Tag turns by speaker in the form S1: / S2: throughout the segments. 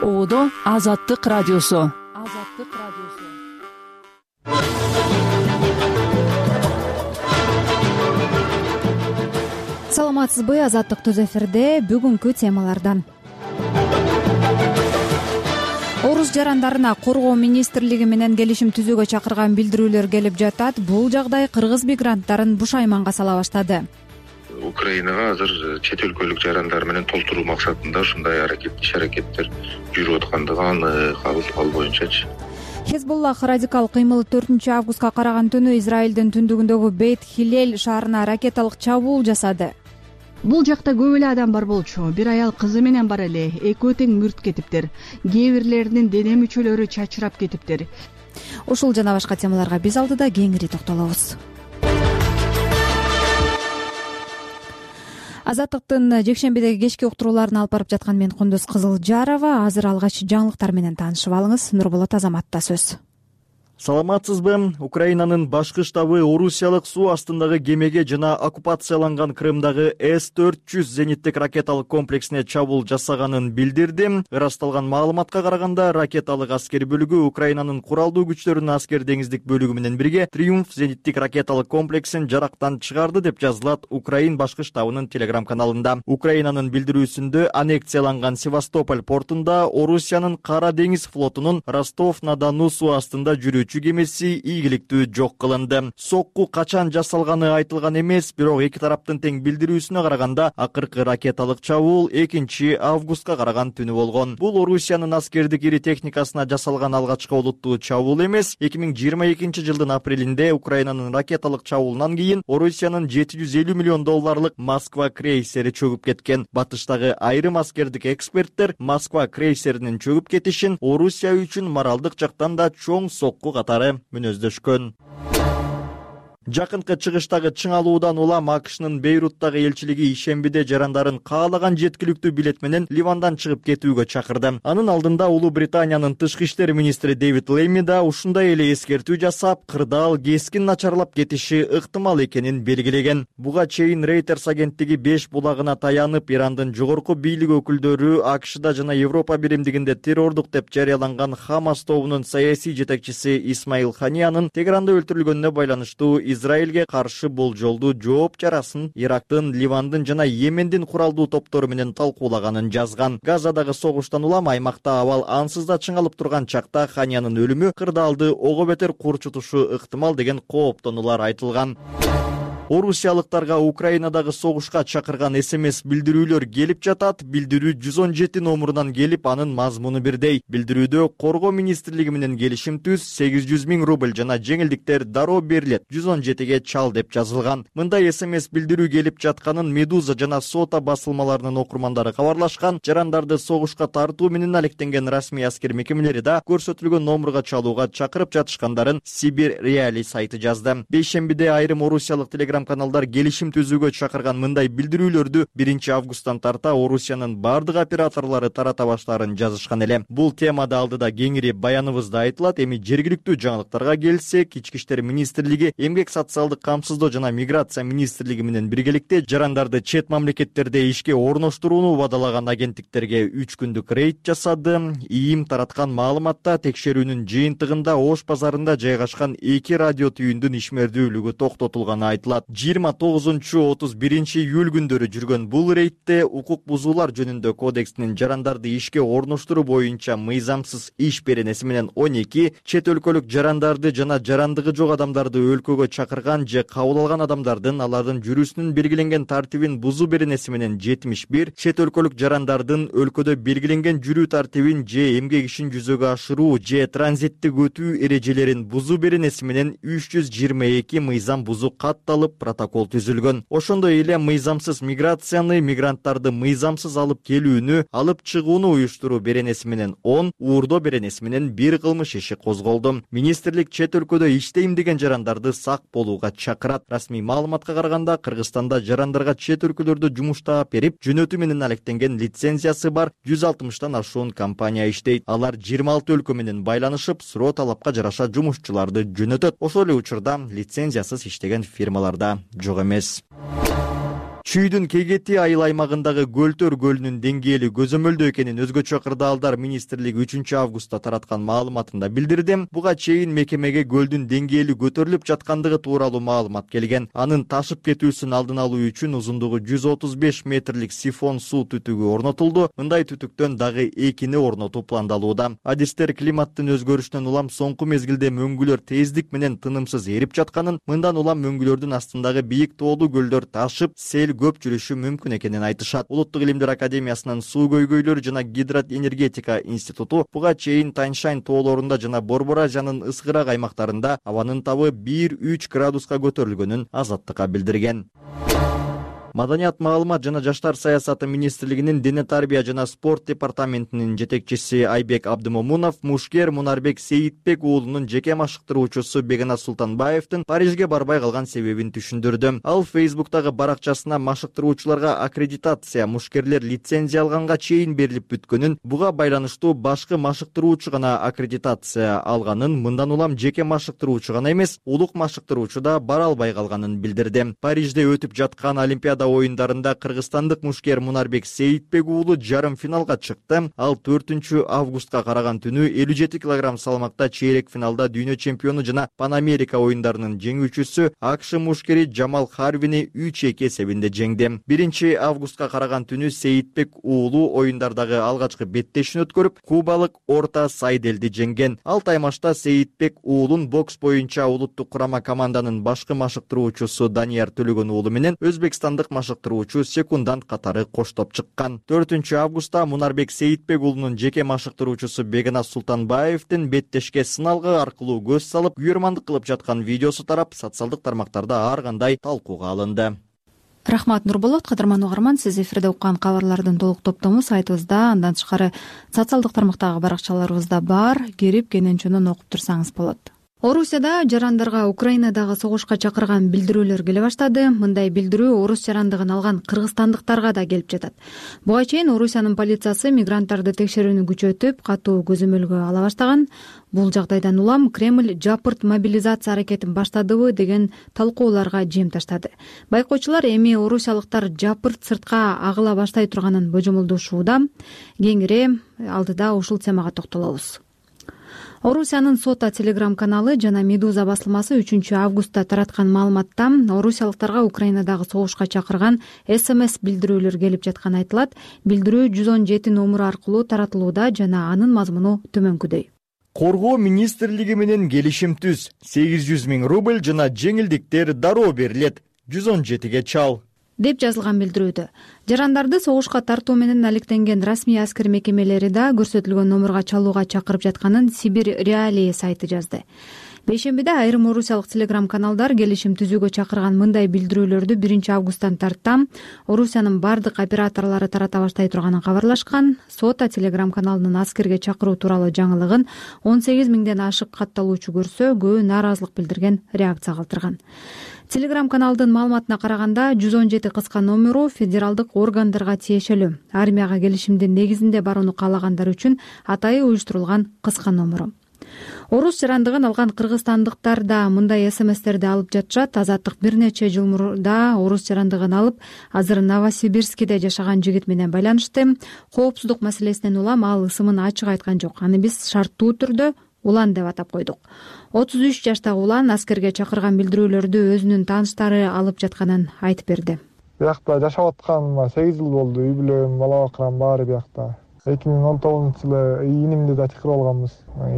S1: Оодо Азаттык радиосу.
S2: Саламатсызбы, Азаттык түз эфирде. Бүгүнкү темалардан: орус жарандарына коргоо министрлиги менен келишим түзүүгө чакырган билдирүүлөр келип жатат. Бул жагдай кыргыз мигранттарын буш-айманга сала баштады.
S3: Украинага азыр чет өлкөлүк жарандар менен толтуруу максатында ушундай иш-аракеттер жүрүп аткандыгы анык. Ал боюнчачы
S2: Хезболлах радикал кыймылы 4-августка караган түнү Израилдин түндүгүндөгү Бейт-Хилель шаарына ракеталык чабуул жасады.
S4: Бул жакта көп эле адам бар болчу. Бир аял кызы менен бар эле. Экөө тең мүрт кетиптир. Кээ бирлеринин дене мүчөлөрү чачырап кетиптир.
S2: Ушул жана башка темаларга биз алдыда кеңири токтолобуз. Азаттыктын жекшембидеги кечки уктурууларын алып барып жаткан мен Кундуз Кызылжарова. Азыр алгач жаңылыктар менен таанышып алыңыз. Нурболот Азаматта сөз.
S5: Саламатсызбы? Украинанын башкы штабы орусиялык суу астындагы кемеге жана оккупацияланган Крымдагы С-400 зениттик ракеталык комплексине чабуул жасаганын билдирди. Ырасталган маалыматка караганда, ракеталык аскер бөлүгү Украинанын куралдуу күчтөрүнүн аскер деңиздик бөлүгү менен бирге Триумф зениттик ракеталык комплексин жарактан чыгарды деп жазылат Украин башкы штабынын телеграм-каналында. Украинанын билдирүүсүндө аннексияланган Севастополь портунда Орусиянын Кара деңиз флотунун Ростов-на-Дону суу астында жүрүүчү кемеси ийгиликтүү жок кылынды. Сокку качан жасалганы айтылган эмес, бирок эки тараптын тең билдирүүсүнө караганда, акыркы ракеталык чабуул 2-августка караган түнү болгон. Бул Орусиянын аскердик ири техникасына жасалган алгачкы олуттуу чабуул эмес. 2022-жылдын апрелинде Украинанын ракеталык чабуулунан кийин Орусиянын $750 миллион Москва крейсери чөгүп кеткен. Батыштагы айрым аскердик эксперттер Москва крейсеринин чөгүп кетишин Орусия үчүн моралдык жактан да чоң сокку катары мүнөздөшкөн. Жакынкы чыгыштагы чыңалуудан улам АКШнын Бейруттагы элчилиги ишембиде жарандарын каалаган жеткиликтүү билет менен Ливандан чыгып кетүүгө чакырды. Анын алдында Улуу Британиянын тышкы иштер министри Дэвид Лейми да ушундай эле эскертүү жасап, кырдаал кескин начарлап кетиши ыктымал экенин белгилеген. Буга чейин Reuters агенттиги 5 булагына таянып, Ирандын жогорку бийлик өкүлдөрү АКШда жана Европа биримдигинде террордук деп жарыяланган Хамас тобунун саясий жетекчиси Исмаил Ханиянын Тегеранда өлтүрүлгөнүнө байланыштуу Израилге каршы болжолдуу жооп чарасын Ирактын, Ливандын жана Йемендин куралдуу топтору менен талкуулаганын жазган. Газадагы согуштан улам аймакта абал ансыз да чыңалып турган чакта Ханиянын өлүмү кырдаалды ого бетер курчутушу ыктымал деген кооптонуулар айтылган. Орусиялыктарга Украинадагы согушка чакырган СМС билдирүүлөр келип жатат. Билдирүү 117 номурунан келип, анын мазмуну бирдей. Билдирүүдө коргоо министрлиги менен келишим түз, 800 000 рубль жана жеңилдиктер дароо берилет. 117ге чал деп жазылган. Мындай СМС билдирүү келип жатканын Медуза жана Сота басылмаларынын окурмандары кабарлашкан. Жарандарды согушка тартуу менен алектенген расмий аскер мекемелери да көрсөтүлгөн номурга чалууга чакырып жатышкандарын Сибир Реали сайты жазды. Бейшембиде айрым орусиялык каналдар келишим түзүүгө чакырган мындай билдирүүлөрдү 1-августтан тарта Орусиянын бардык операторлору тарата баштаарын жазышкан эле. Бул темада алдыда кеңири баяныбызда айтылат. Эми жергиликтүү жаңылыктарга келсек, Ички иштер министрлиги, Эмгек социалдык камсыздоо жана миграция министрлиги менен биргеликте жарандарды чет мамлекеттерде ишке орноштурууну убадалаган агенттиктерге 3 күндүк рейд жасады. ИИМ тараткан маалыматта текшерүүнүн жыйынтыгында Ош базарында жайгашкан 2 радио түйүндүн ишмердүүлүгү токтотулганы айтылат. 29-31 июль күндөрү жүргөн бул рейдте укук бузуулар жөнүндө кодекстин жарандарды ишке орноштуруу боюнча мыйзамсыз иш беренеси менен 12, чет өлкөлүк жарандарды жана жарандыгы жок адамдарды өлкөгө чакырган же кабыл алган адамдардын алардын жүрүүсүнүн белгиленген тартибин бузуу беренеси менен 71, чет өлкөлүк жарандардын өлкөдө белгиленген жүрүү тартибин же эмгек ишин жүзөгө ашыруу же транзиттик өтүү эрежелерин бузуу беренеси менен 322 мыйзам бузуу катталып протокол түзүлгөн. Ошондой эле мыйзамсыз миграцияны, мигранттарды мыйзамсыз алып келүүнү, алып чыгууну уюштуруу беренеси менен 10, уурдоо беренеси менен 1 кылмыш иши козголду. Министрлик чет өлкөдө иштейм деген жарандарды сак болууга чакырат. Расмий маалыматка караганда, Кыргызстанда жарандарга чет өлкөлөрдө жумуш таап берип, жөнөтүү менен алектенген лицензиясы бар 160тан ашуун компания иштейт. Алар 26 өлкө менен байланышып, суроо талапка жараша жумушчуларды жөнөтөт. Ошол эле учурда лицензиясыз иштеген фирмаларда жок эмес. Чүйдүн Кегети айыл аймагындагы Көлтөр көлүнүн деңгээли көзөмөлдүү экенин Өзгөчө кырдаалдар министрлиги 3 августта тараткан маалыматында билдирди. Буга чейин мекемеге көлдүн деңгээли көтөрүлүп жаткандыгы тууралуу маалымат келген. Анын ташып кетүүсүн алдын алуу үчүн узундугу 135 метрлик сифон суу түтүгү орнотулду. Мындай түтүктөн дагы 2 орнотуу пландалууда. Адистер климаттын өзгөрүшүнөн улам соңку мезгилде мөңгүлөр тездик менен тынымсыз эрип жатканын, мындан улам мөңгүлөрдүн астындагы бийик тоолуу көлдөр ташып, сел көп жүрүшү мүмкүн экенин айтышат. Улуттук илимдер академиясынын суу көйгөйлөрү жана гидроэнергетика институту буга чейин Таньшань тоолорунда жана Борборажанын ыскырак аймактарында абанын табы 1-3 градуска көтөрүлгөнүн Азаттыкка билдирген. Маданият, маалымат жана жаштар саясаты министрлигинин дене тарбия жана спорт департаментинин жетекчиси Айбек Абдымомунов мушкер Мунарбек Сейитбек уулунун жеке машыктыруучусу Бегназ Султанбаевдин Парижге барбай калган себебин түшүндүрдү. Ал Фейсбуктагы баракчасына машыктыруучуларга аккредитация, мушкерлер лицензия алганга чейин берилип бүткөнүн, буга байланыштуу башкы машыктыруучу гана аккредитация алганын, мындан улам жеке машыктыруучу гана эмес, улук машыктыруучу да бара албай калганын билдирди. Парижде өтүп жаткан Олимпиада оюндарында кыргызстандык мушкер Мунарбек Сейитбек уулу жарым финалга чыкты. Ал 4 августка караган түнү 57 кг салмакта чейрек финалда дүйнө чемпиону жана Пан Америка оюндарынын жеңүүчүсү АКШ мушкери Джамал Харвини 3-2 эсебинде жеңди. 1 августка караган түнү Сейитбек уулу оюндардагы алгачкы беттешин өткөрүп, кубалык Орта Сайделди жеңген. Ал таймашта Сейитбек уулун бокс боюнча улуттук курама команданын башкы машыктыруучусу Данияр Төлөгөн уулу менен өзбекстандык машыктыруучу секундант катары коштоп чыккан. 4 августта Мунарбек Сейитбек уулунун жеке машыктыруучусу Бегназ Султанбаевдин беттешке сыналгы аркылуу көз салып, күйөрмандык кылып жаткан видеосу тарап, социалдык тармактарда ар кандай талкууга алынды.
S2: Рахмат Нурболот. Кадырман угарман, сиз эфирде уккан кабарлардын толук топтому сайтыбызда, андан тышкары социалдык тармактагы баракчаларыбызда бар. Кирип кенен окуп турсаңыз болот. Орусияда жарандарга Украинадагы согушка чакырган билдирүүлөр келе баштады. Мындай билдирүү орус жарандыгын алган кыргызстандыктарга да келип жатат. Буга чейин Орусиянын полициясы мигранттарды текшерүүнү күчөтүп, катуу көзөмөлгө ала баштаган. Бул жагдайдан улам Кремль жапырт мобилизация аракетин баштадыбы деген талкууларга жем таштады. Байкоочулар эми орусиялыктар жапырт сыртка агыла баштай турганын божомолдошууда. Кеңири алдыда ушул темага токтолобуз. Орусиянын Сота телеграм-каналы жана Медуза басылмасы 3 августта тараткан маалыматта орусиялыктарга Украинадагы согушка чакырган СМС билдирүүлөр келип жатканы айтылат. Билдирүү 117 номуру аркылуу таратылууда жана анын мазмуну төмөнкүдөй.
S5: Коргоо министрлиги менен келишим түз. 800 000 рубль жана жеңилдиктер дароо берилет. 117 чал
S2: деп жазылган билдирүүдө. Жарандарды согушка тартуу менен алектенген расмий аскер мекемелери да көрсөтүлгөн номурга чалууга чакырып жатканын Сибирь Реалии сайты жазды. Бейшембиде айрым орусиялык телеграм-каналдар келишим түзүүгө чакырган мындай билдирүүлөрдү 1 августтан тарттан Орусиянын бардык операторлору тарата баштай турганын кабарлашкан. Сота телеграм-каналынын аскерге чакыруу тууралуу жаңылыгын 18 000ден ашык катталуучу көрсө, көбү нааразылык билдирген, реакция калтырган. Телеграм-каналдын маалыматына караганда 117 кыска номеру федералдык органдарга тиешелүү. Армияга келишимдин негизинде барууну каалагандар үчүн атайы уюштурулган кыска номеру. Орус жарандыгын алган кыргызстандыктар да мындай СМСтерди алып жатышат. Азаттык бир нече жыл мурда орус жарандыгын алып, азыр Новосибирскиде жашаган жигит менен байланышты. Коопсуздук маселесинен улам ал ысымын ачык айткан жок. Аны биз шарттуу түрдө Улан деп атап койдук. 33 жаштагы Улан аскерге чакырган билдирүүлөрдү өзүнүн тааныштары алып жатканын айтып берди.
S6: Биякта жашап атканыма 8 жыл болду. Үй бүлөм, бала бакырам баары биякта. 2019-жылы инимди да чакырып алганбыз.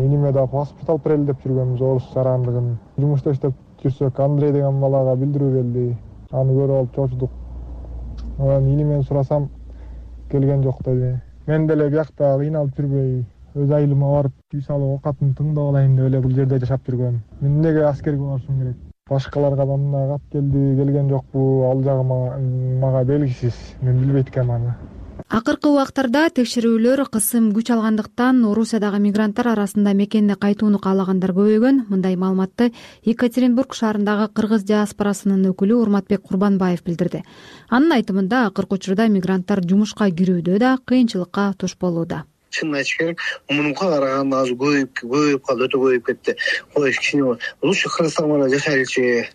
S6: Иниме да паспорт алып берели деп жүргөнбүз орус жарандыгын. Жумушта иштеп жүрсөк, Андрей деген балага билдирүү келди. Аны көрүп алып чочудук. Анан инимен сурасам, келген жок деди. Мен деле биякта кыйналып жүрбөй, өз айылыма барып, үй салып окатын тыңдап алайын деп эле бул жерде жашап жүргөм. Мен эмнеге аскерге барышым керек? Башкаларга да мындай кат келди, келген жокпу, ал жагы мага белгисиз. Мен билбейт экенмин аны.
S2: Акыркы убактарда текшерүүлөр кысым күч алгандыктан Орусиядагы мигранттар арасында мекенине кайтууну каалагандар көбөйгөн. Мындай маалыматты Екатеринбург шаарындагы кыргыз диаспорасынын өкүлү Урматбек Курбанбаев билдирди. Анын айтымында акыркы учурда мигранттар жумушка кирүүдө да кыйынчылыкка туш болууда.
S7: Чынын айтыш керек, мунунга караганда азыр көбөйүп калды, өтө көбөйүп кетти. Кой кичине лучше Кыргызстанда жашайлычы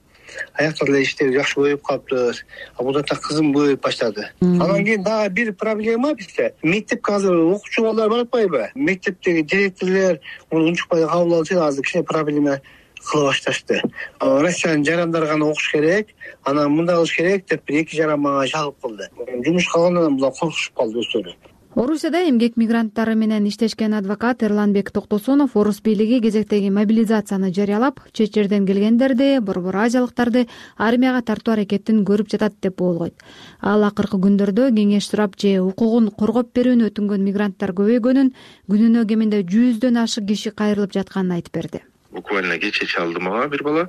S7: аяктар эле иштеп жакшы көбөйүп калыптыр. Будан да кызым көбөйүп баштады. Анан кийин дагы бир проблема бизде. Мектепке азыр окуучу балдар баратпайбы? Мектептеги директорлор муну унчукпай кабыл алышып азыр кичине проблема кыла башташты. Россиянын жарандары гана окуш керек, анан мындай кылыш керек деп бир эки жаран мага чалып калды. Жумуш калгандан булар коркушуп калды өздөрү.
S2: Орусияда эмгек мигранттары менен иштешкен адвокат Эрланбек Токтосунов орус бийлиги кезектеги мобилизацияны жарыялап, чет жерден келгендерди, борбор азиялыктарды армияга тартуу аракетин көрүп жатат деп боолгойт. Ал акыркы күндөрдө кеңеш сурап же укугун коргоп берүүнү өтүнгөн мигранттар көбөйгөнүн, күнүнө кеминде 100дөн ашык киши кайрылып жатканын айтып берди.
S3: Буквально кече чалды мага бир бала.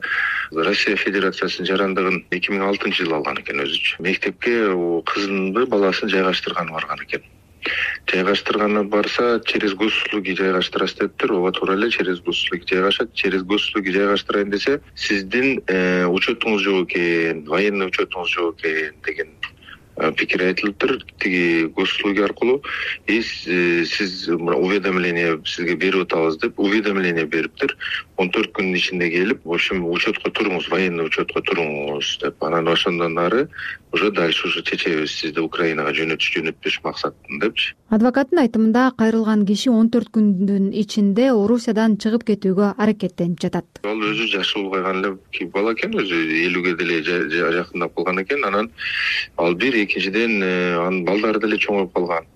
S3: Россия Федерациясынын жарандыгын 2006-жылы алган экен өзүчү. Мектепке кызынды баласын жайгаштырганы барган экен. Жайгаштырганы барса, через госуслуги жайгаштырасыз дептир. Ооба туура эле, через госуслуги жайгашат. Через госуслуги жайгаштырайын десе, сиздин учетуңуз жок экен, военный учетуңуз жок экен деген пикир айтылыптыр. Тиги госуслуги аркылуу сиз уведомление сизге берип атабыз деп уведомление бериптир. 14 күндүн ичинде келип, в общем, учетко туруңуз, военный учетко туруңуз деп. Анан ошондон ары уже дальше уже чечебиз сизди Украинага жөнөтүш максатында депчи.
S2: Адвокаттын айтымында кайрылган киши 14 күндүн ичинде Орусиядан чыгып кетүүгө аракеттенип жатат.
S3: Ал өзү жашы улгайган эле бала экен, өзү 50ге деле жакындап калган экен. Анан ал бир экинчиден анын балдары деле чоңоюп калган.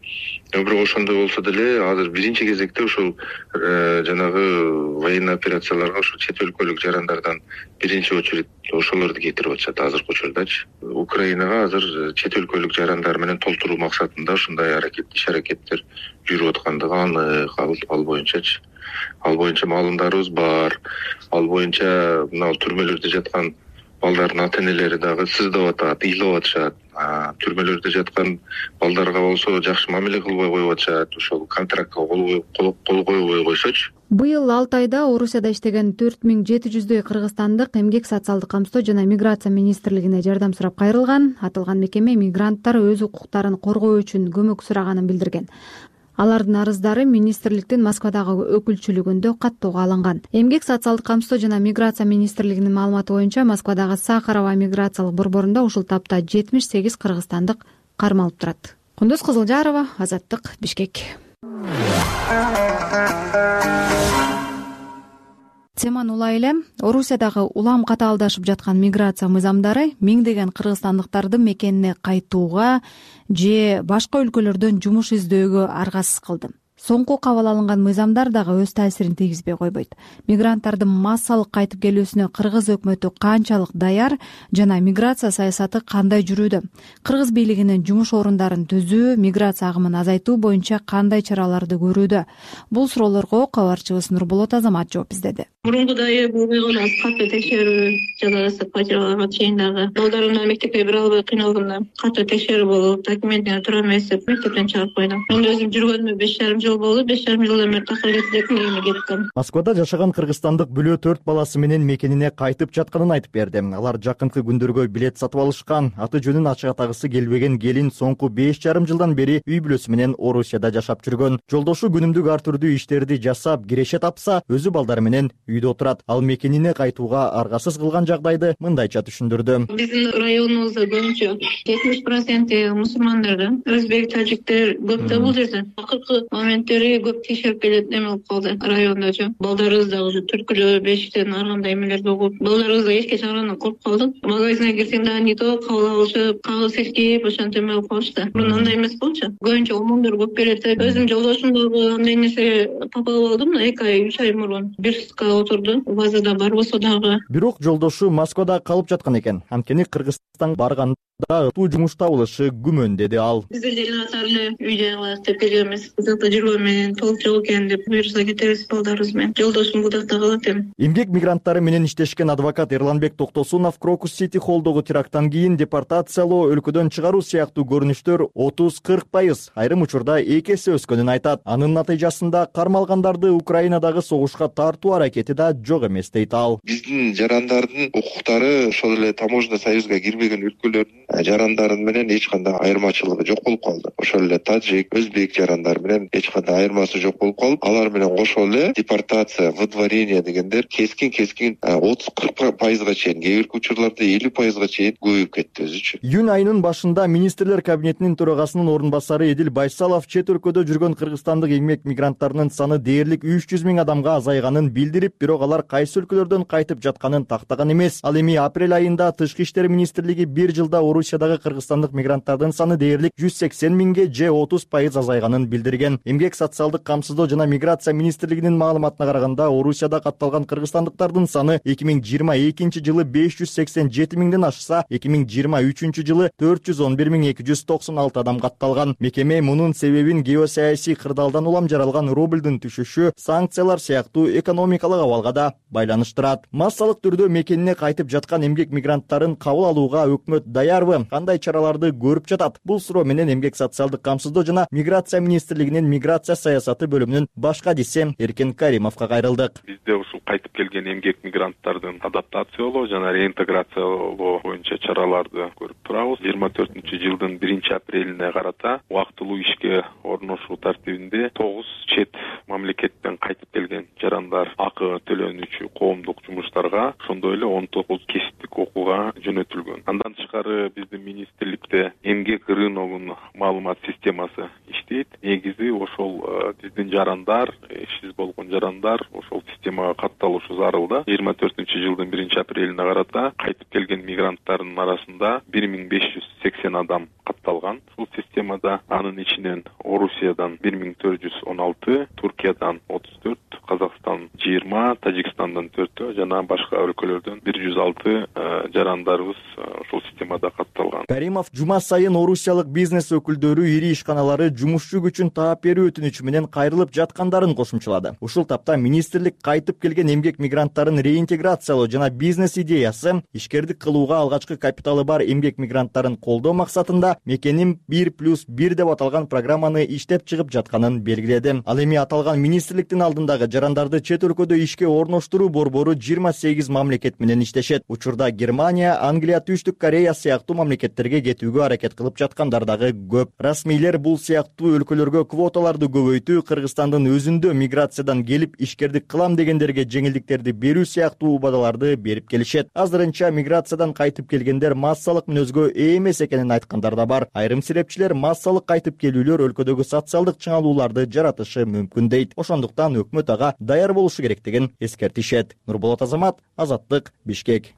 S3: Бирок ошондой болсо деле азыр биринчи кезекте ушул жанагы военный операцияларга ушул чет өлкөлүк жарандардан биринчи очередь ошолорду кетирип атышат азыркы учурдачы. Украинага азыр чет өлкөлүк жарандар менен толтуруу максатында ушундай иш аракеттер жүрүп аткандыгы анык ал боюнчачы. Ал боюнча маалымдарыбыз бар. Ал боюнча мына түрмөлөрдө жаткан балдардын ата-энелери дагы сыздап атат, ыйлап атышат. Түрмөлөрдө жаткан балдарга болсо жакшы мамиле кылбай коюп атышат. Ошол контрактка кол койбой койсочу.
S2: Быйыл 6 айда Орусияда иштеген 4700дөй кыргызстандык эмгек социалдык камсоо жана миграция министрлигине жардам сурап кайрылган. Аталган мекеме мигранттар өз укуктарын коргоо үчүн көмөк сураганын билдирген. Алардын арыздары министрликтин Москвадагы өкүлчүлүгүндө каттоого алынган. Эмгек социалдык камсоо жана миграция министрлигинин маалыматы боюнча Москвадагы Сахарова миграциялык борборунда ушул тапта 78 кыргызстандык кармалып турат. Кундуз Кызылжарова, Азаттык, Бишкек. Теманы улай эле Орусиядагы улам катаалдашып жаткан миграция мыйзамдары миңдеген кыргызстандыктарды мекенине кайтууга же башка өлкөлөрдөн жумуш издөөгө аргасыз кылды. Соңку кабыл алынган мыйзамдар дагы өз таасирин тийгизбей койбойт. Мигранттардын массалык кайтып келүүсүнө кыргыз өкмөтү канчалык даяр жана миграция саясаты кандай жүрүүдө? Кыргыз бийлигинин жумуш орундарын түзүү, миграция агымын азайтуу боюнча кандай чараларды көрүүдө? Бул суроолорго кабарчыбыз Нурболот Азамат жооп издеди.
S8: Мурункудай булган катуу текшерүү жалгасып качырганга чейин дагы балдарымды мектепке бере албай кыйналганда катуу текшерүү болуп, документине тура эмес деп мектептен чыгарып койду. Мен өзүм жүргөнүмө 5,5 жыл болду. 5,5 жылдан бери такыр кеттим.
S5: Москвада жашаган кыргызстандык бүлө 4 баласы менен мекенине кайтып жатканын айтып берди. Алар жакынкы күндөргө билет сатып алышкан. Аты жөнүн ачык атагысы келбеген келин соңку 5,5 жылдан бери үй бүлөсү менен Орусияда жашап жүргөн. Жолдошу күнүмдүк ар түрдүү иштерди жасап, киреше тапса, өзү балдары менен үйдө отурат. Ал мекенине кайтууга аргасыз кылган жагдайды мындайча түшүндүрдү.
S8: Биздин районубузда көбүнчө 70% мусулмандар, өзбек, тажиктер көп да бул жерде. Акыркы моменттери көп текшерип келет эме болуп калды райондочу. Балдарыбыз дагы уже түркүлөө, бешиктен ар кандай эмелерди угуп, балдарыбыз эшикке чыгаргандан коркуп калдык. Магазинге кирсең дагы не то кабыл алышып, кагыс эскип, ошентип эме болуп калышты. Мурун андай эмес болчу. Көбүнчө омондор көп келет. Өзүм жолдошум дагы андай нерсе тапалып алдым. 2 ай, 3 ай мурун бир сутка отурду. Базада бар болсо дагы.
S5: Бирок жолдошу Москвада калып жаткан экен. Анткени Кыргызстанга барганда ытуу жумуш табылышы күмөн, деди ал.
S8: Биздер деле атарлы үй жайлар деп келгенбиз. Бузакта жүргөн менен толук жок экен деп буюрса кетебиз балдарыбыз менен. Жолдошум Будакта калат эми.
S5: Эмгек мигранттары менен иштешкен адвокат Эрланбек Токтосунов Крокус Сити холлдогу теракттан кийин депортациялоо, өлкөдөн чыгаруу сыяктуу көрүнүштөр 30-40%, айрым учурда 2 эсе өскөнүн айтат. Анын натыйжасында кармалгандарды Украинадагы согушка тартуу аракети да жок эмес дейт ал.
S3: Биздин жарандардын укуктары ошол эле таможня союзга кирбеген өлкөлөрдүн жарандары менен эч кандай айырмачылыгы жок болуп калды. Ошол эле тажик, өзбек жарандары менен эч кандай айырмасы жок болуп калып, алар менен кошо эле депортация, выдворение дегендер кескин 30-40% чейин, кээ бир учурларда 50% чейин көбөйүп кетти өзүчө.
S5: Июнь айынын башында министрлер кабинетинин төрагасынын орун басары Эдил Байсалов чет өлкөдө жүргөн кыргызстандык эмгек мигранттарынын саны дээрлик 300 000 адамга азайганын билдирип, бирок алар кайсы өлкөлөрдөн кайтып жатканын тактаган эмес. Ал эми апрель айында Тышкы иштер министрлиги бир жылда Орусиядагы кыргызстандык мигранттардын саны дээрлик 180 000ге же 30% азайганын билдирген. Эмгек социалдык камсыздоо жана миграция министрлигинин маалыматына караганда, Орусияда катталган кыргызстандыктардын саны 2022 жылы 587 000ден ашса, 2023 жылы 411 296 адам катталган. Мекеме мунун себебин геосаясий кырдаалдан улам жаралган рубльдин түшүшү, санкциялар сыяктуу экономикалык абалга да байланыштырат. Массалык түрдө мекенине кайтып жаткан эмгек мигранттарын кабыл алууга өкмөт даярбы? Кандай чараларды көрүп жатат? Бул суроо менен Эмгек социалдык камсыздоо жана миграция министрлигинин миграция саясаты бөлүмүнүн баш кадиси Эркен Каримовго кайрылдык.
S9: Бизде ушул кайтып келген эмгек мигранттардын адаптациялоо жана реинтеграциялоо боюнча чараларды көрүп турабыз. 24-жылдын 1-апрелине карата убактылуу ишке орношуу тартибинде 9 чет мамлекеттен кайтып келген жарандар акы төлөнүүчү коомдук жумуштарга, ошондой эле 19 кесиптик окууга жөнөтүлгөн. Андан тышкары биздин министрликте эмгек рыногунун маалымат системасы иштейт. Негизи ошол биздин жарандар, ишсиз болгон жарандар ошол системага катталышы зарыл да. 24-жылдын 1-апрелине карата кайтып келген мигранттардын арасында 1580 адам катталган. Бул системада анын ичинен Орусиядан 1416, Туркиядан 34, Казакстан 20, Тажикстандан 4 жана башка өлкөлөрдөн 106 жарандарыбыз ушул системада катталган.
S5: Каримов жума сайын орусиялык бизнес өкүлдөрү ири ишканалары жумушчу күчүн таап берүү өтүнүчү менен кайрылып жаткандарын кошумчалады. Ушул тапта министрлик кайтып келген эмгек мигранттарын реинтеграциялоо жана бизнес идеясы, ишкердик кылууга алгачкы капиталы бар эмгек мигранттарын колдоо максатында Мекеним 1+1 деп аталган программаны иштеп чыгып жатканын белгиледи. Ал эми аталган министрликтин алдындагы жарандарды чет өлкөдө ишке орноштуруу борбору 28 мамлекет менен иштешет. Учурда Германия, Англия, Түштүк Корея сыяктуу мамлекеттерге кетүүгө аракет кылып жаткандар дагы көп. Расмийлер бул сыяктуу өлкөлөргө квоталарды көбөйтүү, Кыргызстандын өзүндө миграциядан келип ишкердик кылам дегендерге жеңилдиктерди берүү сыяктуу убадаларды берип келишет. Азырынча миграциядан кайтып келгендер массалык мүнөзгө ээ эмес экенин айткандар да бар. Айрым серепчилер массалык кайтып келүүлөр өлкөдөгү социалдык чыңалууларды жаратышы мүмкүн дейт. Ошондуктан өкмөт ага даяр болушу керектигин эскертишет. Нурболот Азамат, Азаттык, Бишкек.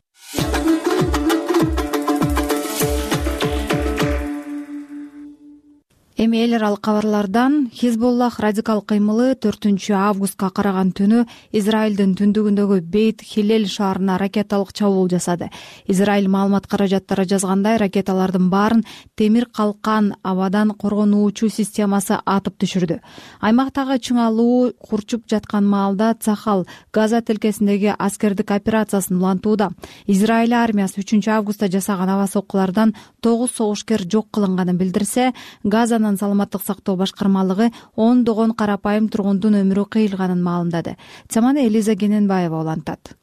S2: Эми эл аралык кабарлардан Хизбуллах радикал кыймылы 4-августка караган түнү Израилдин түндүгүндөгү Бейт Хилел шаарына ракеталык чабуул жасады. Израиль маалымат каражаттары жазгандай, ракеталардын баарын темир калкан абадан коргонуучу системасы атып түшүрдү. Аймактагы чыңалуу курчуп жаткан маалда Цахал Газа тилкесиндеги аскердик операциясын улантууда. Израиль армиясы 3-августта жасаган аба соккулардан 9 согушкер жок кылынганын билдирсе, Газанын саламаттык сактоо башкармалыгы ондогон карапайым тургундун өмүрү кыйылганын маалымдады. Теманы Элиза Гененбаева улантат.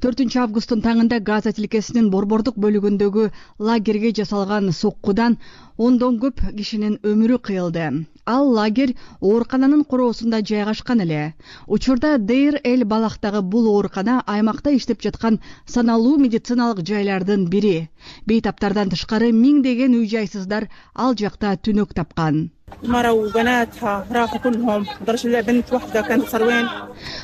S4: 4-августтун таңында Газа тилкесинин борбордук бөлүгүндөгү лагерге жасалган соккудан ондон көп кишинин өмүрү кыйылды. Ал лагерь оорукананын короосунда жайгашкан эле. Учурда Дейр-эль-Балахтагы бул оорукана аймакта иштеп жаткан саналуу медициналык жайлардын бири. Бейтаптардан тышкары миңдеген үй-жайсыздар ал жакта түнөк тапкан.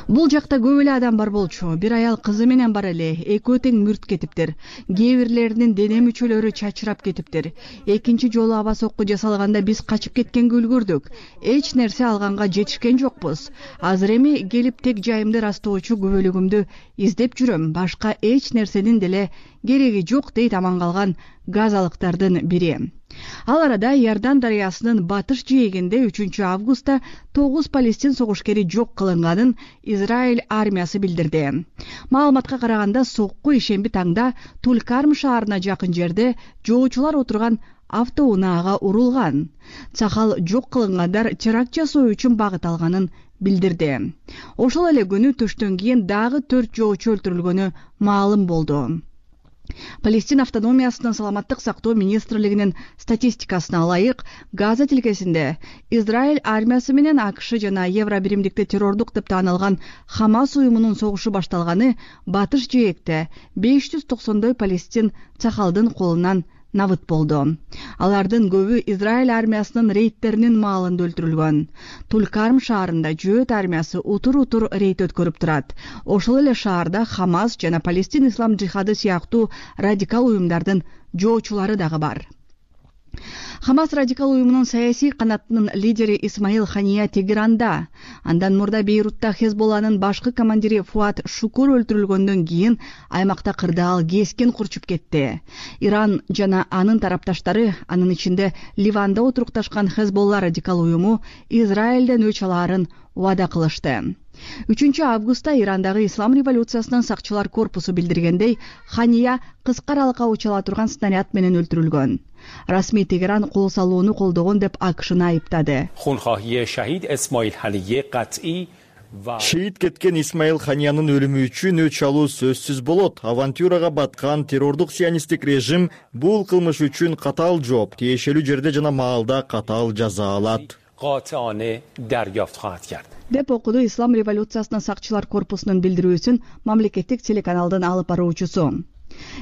S4: Бул жакта көп эле адам бар болчу. Бир аял кызы менен бар эле. Экөө тең мүрт кетиптир. Кээ бирлеринин дене мүчөлөрү чачырап кетиптир. Экинчи жолу аба сокку жасалганда биз качып кеткенге үлгүрдүк. Эч нерсе алганга жетишкен жокпуз. Азыр эми келип тег жайымды растоочу күбөлүгүмдү издеп жүрөм. Башка эч нерсенин деле кереги жок, дейт аман калган газалыктардын бири. Ал арада Иордан дарыясынын батыш жээгинде 3-августта 9 палестин согушкери жок кылынганын Израиль армиясы билдирди. Маалыматка караганда, сокку ишемби таңда Тулкарм шаарына жакын жерде жоочулар отурган автоунаага урулган. Цахал жок кылынгандар теракт жасоо үчүн багыт алганын билдирди. Ошол эле күнү түштөн кийин дагы 4 жоочу өлтүрүлгөнү маалым болду. Палестина автономиясынын саламаттык сактоо министрлигинин статистикасына ылайык, Газа тилкесинде Израиль армиясы менен АКШ жана Евро биримдикте террордук деп таанылган Хамас уюмунун согушу башталганы батыш жээкте 590 палестин цахалдын колунан набыт болду. Алардын көбү Израиль армиясынын рейдтеринин маалында өлтүрүлгөн. Тулкарм шаарында жөөт армиясы утур рейд өткөрүп турат. Ошол эле шаарда Хамас жана Палестин ислам жихады сыяктуу радикал уюмдардын жоочулары дагы бар. Хамас радикал уюмунун саясий канатынын лидери Исмаил Хания Тегеранда, андан мурда Бейрутта Хезболланын башкы командири Фуат Шукур өлтүрүлгөндөн кийин аймакта кырдаал кескен курчуп кетти. Иран жана анын тарапташтары, анын ичинде Ливанда отурукташкан Хезболла радикал уюму Израилден өч алаарын убада кылышты. 3-августта Ирандагы ислам революциясынын сакчылар корпусу билдиргендей, Хания кыска аралыкка учала турган снаряд менен өлтүрүлгөн. Расмий Тегеран кол салууну колдогон деп АКШны айыптады.
S5: Шейит кеткен Исмаил Ханиянын өлүмү үчүн өч алуу сөзсүз болот. Авантюрага баткан террордук сионисттик режим бул кылмыш үчүн катаал жооп, тиешелүү жерде жана маалда катаал жаза алат
S4: деп окуду ислам революциясынын сакчылар корпусунун билдирүүсүн мамлекеттик телеканалдын алып баруучусу.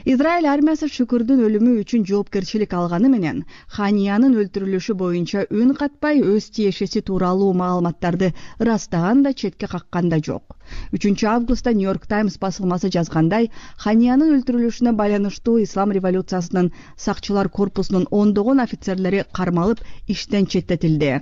S4: Израиль армиясы Шукурдун өлүмү үчүн жоопкерчилик алганы менен Ханиянын өлтүрүлүшү боюнча үн катпай өз тиешеси тууралуу маалыматтарды ырастаган да четке каккан да жок. 3-августта Нью-Йорк Таймс басылмасы жазгандай, Ханиянын өлтүрүлүшүнө байланыштуу ислам революциясынын сакчылар корпусунун ондогон офицерлери кармалып, иштен четтетилди.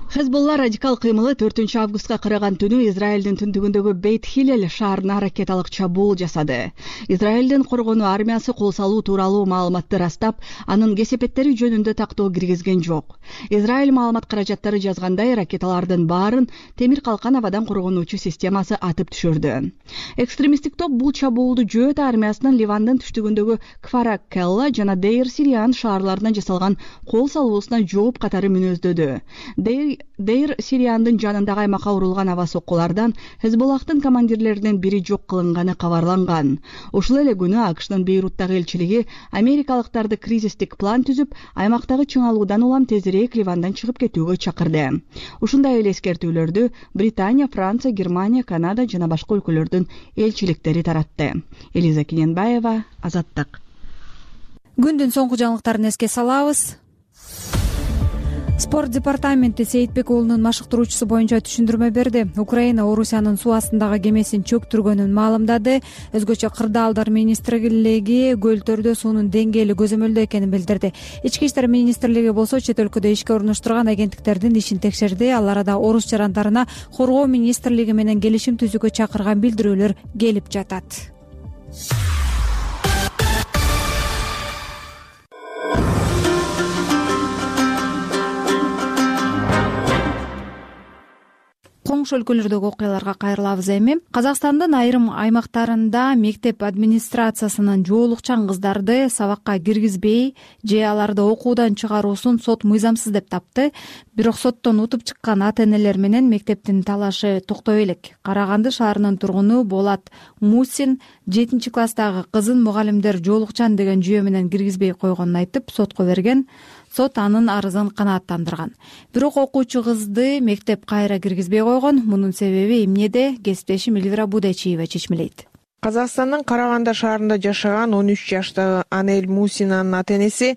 S4: Хезболла радикал кыймылы 4-августка караган түнү Израилдин түндүгүндөгү Бейт-Хилель шаарына ракеталык чабуул жасады. Израилдин коргонуу армиясы кол салуу тууралуу маалыматты растап, анын кесепеттери жөнүндө тактоо киргизген жок. Израиль маалымат каражаттары жазгандай, ракеталардын баарын темир калкан абадан коргонуучу системасы атып түшүрдү. Экстремисттик топ бул чабуулду жөөт армиясынын Ливандын түштүгүндөгү Кфара-Келла жана Дейр-Сириан шаарларына жасалган кол салуусуна жооп катары мүнөздөдү. Дейр-Сириандын жанындагы аймакка урулган аба соккулардан Хезболлахтын командирлеринин бири жок кылынганы кабарланган. Ошол эле күнү АКШнын Бейруттагы элчилиги америкалыктарды кризистик план түзүп, аймактагы чыңалуудан улам тезирээк Ливандан чыгып кетүүгө чакырды. Ушундай эле эскертүүлөрдү Британия, Франция, Германия, Канада жана башка өлкөлөрдүн элчиликтери таратты. Элиза Кененбаева, Азаттык.
S2: Күндүн соңку жаңылыктарын эске салабыз. Спорт департаменти Сейитбек уулунун машыктыруучусу боюнча түшүндүрмө берди. Украина Орусиянын суу астындагы кемесин чөктүргөнүн маалымдады. Өзгөчө кырдаалдар министрлиги көлдөрдө суунун деңгээли көзөмөлдөө экенин билдирди. Ички иштер министрлиги болсо чет өлкөдө ишке орноштурган агенттиктердин ишин текшерди. Ал арада орус жарандарына коргоо министрлиги менен келишим түзүүгө чакырган билдирүүлөр келип жатат. Коңшу өлкөлөрдөгү окуяларга кайрылабыз эми. Казакстандын айрым аймактарында мектеп администрациясынын жоолукчан кыздарды сабакка киргизбей же аларды окуудан чыгаруусун сот мыйзамсыз деп тапты. Бирок соттон утуп чыккан ата-энелер менен мектептин талашы токтой элек. Караганды шаарынын тургуну Болат Мусин 7-класстагы кызын мугалимдер жоолукчан деген жүйө менен киргизбей койгонун айтып сотко берген. Сот анын арызын канааттандырган. Бирок окуучу кызды мектеп кайра киргизбей койгон. Мунун себеби эмнеде? Кесиптешим Эльвира Будачиева чечмелейт.
S10: Казакстандын Караганды шаарында жашаган 13 жаштагы Анель Мусинанын ата-энеси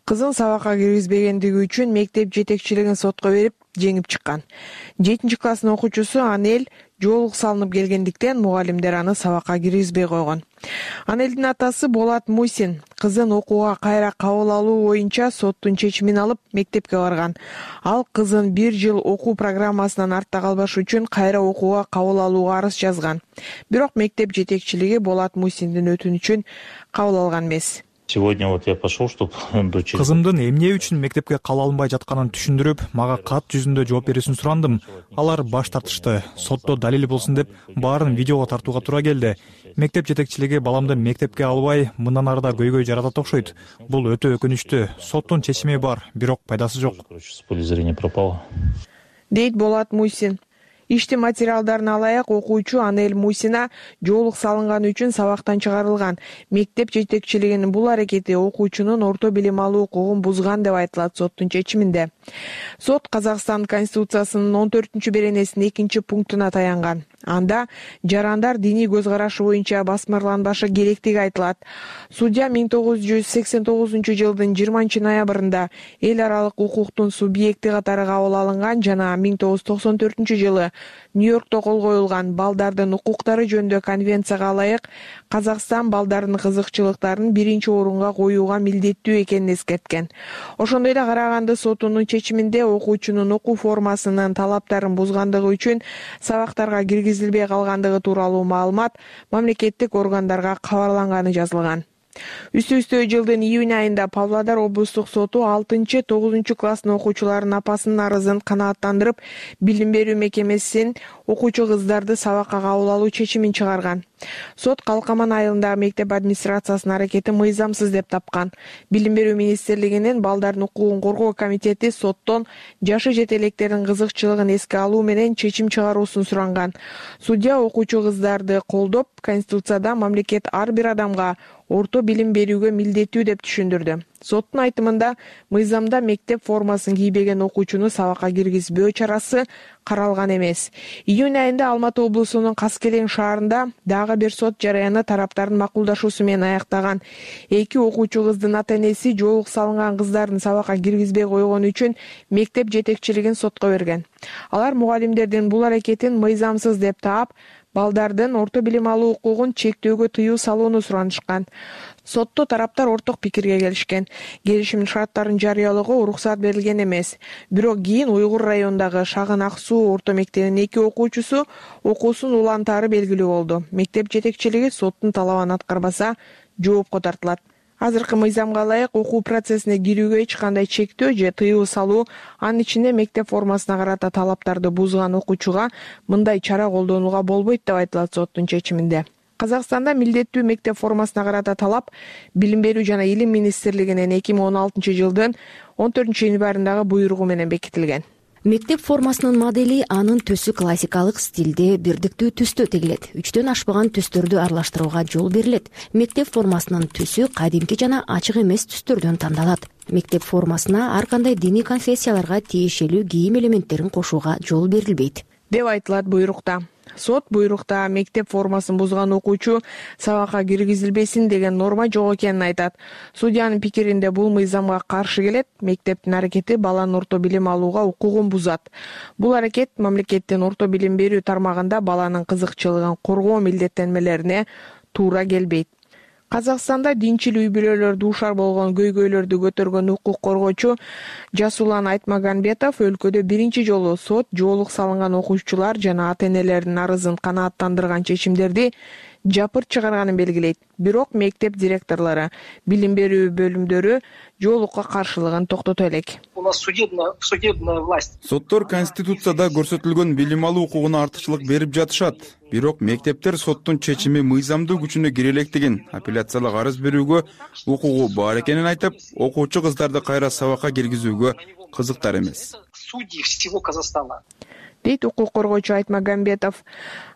S10: кызын сабакка киргизбегендиги үчүн мектеп жетекчилигин сотко берип, жеңип чыккан. 7-класстын окуучусу Анель жоолук салынып келгендиктен мугалимдер аны сабакка киргизбей койгон. Анелдин атасы Болат Мусин кызын окууга кайра кабыл алуу боюнча соттун чечимин алып мектепке барган. Ал кызын 1 жыл окуу программасынан артта калбаш үчүн кайра окууга кабыл алууга арыз жазган. Бирок мектеп жетекчилиги Болат Мусиндин өтүнүчүн кабыл алган эмес.
S11: Сегодня вот я пошел, чтобы дочь.
S12: Кызымдын эмне үчүн мектепке кала албай жатканын түшүндүрүп, мага кат жүзүндө жооп берүүсүн сурандым. Алар баш тартышты. Сотто далил болсун деп баарын видеого тартууга туура келди. Мектеп жетекчилиги баламды мектепке албай, мындан ары да көйгөй жаратат окшойт. Бул өтө өкүнүчтүү. Соттун чечими бар, бирок пайдасы жок.
S11: С поля зрения пропало.
S10: Дейт Болат Мусин. Иштин материалдарын алайык, окуучу Анель Мусина жоолук салынганы үчүн сабактан чыгарылган. Мектеп жетекчилигинин бул аракети окуучунун орто билим алуу укугун бузган деп айтылат соттун чечиминде. Сот Казакстан Конституциясынын 14-беренесинин 2-пунктуна таянган. Анда жарандар диний көз карашы боюнча басмырланбашы керектиги айтылат. Судья 1989-жылдын 20-ноябрында эл аралык укуктун субъекти катары кабыл алынган жана 1994-жылы Нью-Йоркто кол коюлган балдардын укуктары жөнүндө конвенцияга ылайык Казакстан балдардын кызыкчылыктарын биринчи орунга коюуга милдеттүү экенин эскерткен. Ошондой эле Караганды сотунун чечиминде окуучунун окуу формасынын талаптарын бузгандыгы үчүн сабактарга киргизилбей калгандыгы тууралуу маалымат мамлекеттик органдарга кабарланганы жазылган. Үстө жылдын июнь айында Павлодар облустук соту 6-9 класстын окуучуларынын апасынын арызын канааттандырып, билим берүү мекемесинин окуучу кыздарды сабакка кабыл алуу чечимин чыгарган. Сот Калкаман айылындагы мектеп администрациясынын аракети мыйзамсыз деп тапкан. Билим берүү министрлигинин балдардын укугун коргоо комитети соттон жашы жете электердин кызыкчылыгын эске алуу менен чечим чыгаруусун суранган. Судья окуучу кыздарды колдоп, Конституцияда мамлекет ар бир адамга орто билим берүүгө милдеттүү деп түшүндүрдү. Соттун айтымында мыйзамда мектеп формасын кийбеген окуучуну сабакка киргизбөө чарасы каралган эмес. Июнь айында Алматы облусунун Каскелең шаарында дагы бир сот жараяны тараптардын макулдашуусу менен аяктаган. 2 окуучу кыздын ата-энеси жоолук салынган кыздардын сабакка киргизбей койгону үчүн мектеп жетекчилигин сотко берген. Алар мугалимдердин бул аракетин мыйзамсыз деп таап, балдардын орто билим алуу укугун чектөөгө тыюу салууну суранышкан. Сотто тараптар орток пикирге келишкен. Келишимдин шарттарын жарыялоого уруксат берилген эмес. Бирок кийин Уйгур районундагы Шагын Ак Суу орто мектебинин 2 окуучусу окуусун улантаары белгилүү болду. Мектеп жетекчилиги соттун талабын аткарбаса жоопко тартылат. Азыркы мыйзамга ылайык окуу процессине кирүүгө эч кандай чектөө же тыюу салуу, анын ичинде мектеп формасына карата талаптарды бузган окуучуга мындай чара колдонууга болбойт деп айтылат соттун чечиминде. Казакстанда милдеттүү мектеп формасына карата талап Билим берүү жана Илим министрлигинин 2016-жылдын 14-январындагы буйругу менен бекитилген.
S13: Мектеп формасынын модели анын төсү классикалык стилде бирдиктүү түстө тегилет. 3төн ашпаган түстөрдү аралаштырууга жол берилет. Мектеп формасынын түсү кадимки жана ачык эмес түстөрдөн тандалат. Мектеп формасына ар кандай диний конфессияларга тиешелүү кийим элементтерин кошууга жол берилбейт
S10: деп айтылат буйрукта. Сот буйрукта мектеп формасын бузган окуучу сабакка киргизилбесин деген норма жок экенин айтат. Судьянын пикиринде бул мыйзамга каршы келет. Мектептин аракети баланын орто билим алууга укугун бузат. Бул аракет мамлекеттин орто билим берүү тармагында баланын кызыкчылыгын коргоо милдеттенмелерине туура келбейт. Казакстанда динчил үй-бүлөлөр дуушар болгон көйгөйлөрдү көтөргөн укук коргоочу Жасулан Айтмаганбетов өлкөдө биринчи жолу сот жоолук салынган окуучулар жана ата-энелердин арызын канааттандырган чечимдерди жапырт чыгарганын белгилейт. Бирок мектеп директорлору, билим берүү бөлүмдөрү жоолукка каршылыгын токтото элек.
S14: У нас судебная власть.
S15: Соттор Конституцияда көрсөтүлгөн билим алуу укугуна артыкчылык берип жатышат. Бирок мектептер соттун чечими мыйзамдуу күчүнө кире электигин, апелляциялык арыз берүүгө укугу бар экенин айтып, окуучу кыздарды кайра сабакка киргизүүгө кызыктар эмес.
S14: Судьи всего Казахстана.
S10: Дейт укук коргоочу Айтмаганбетов.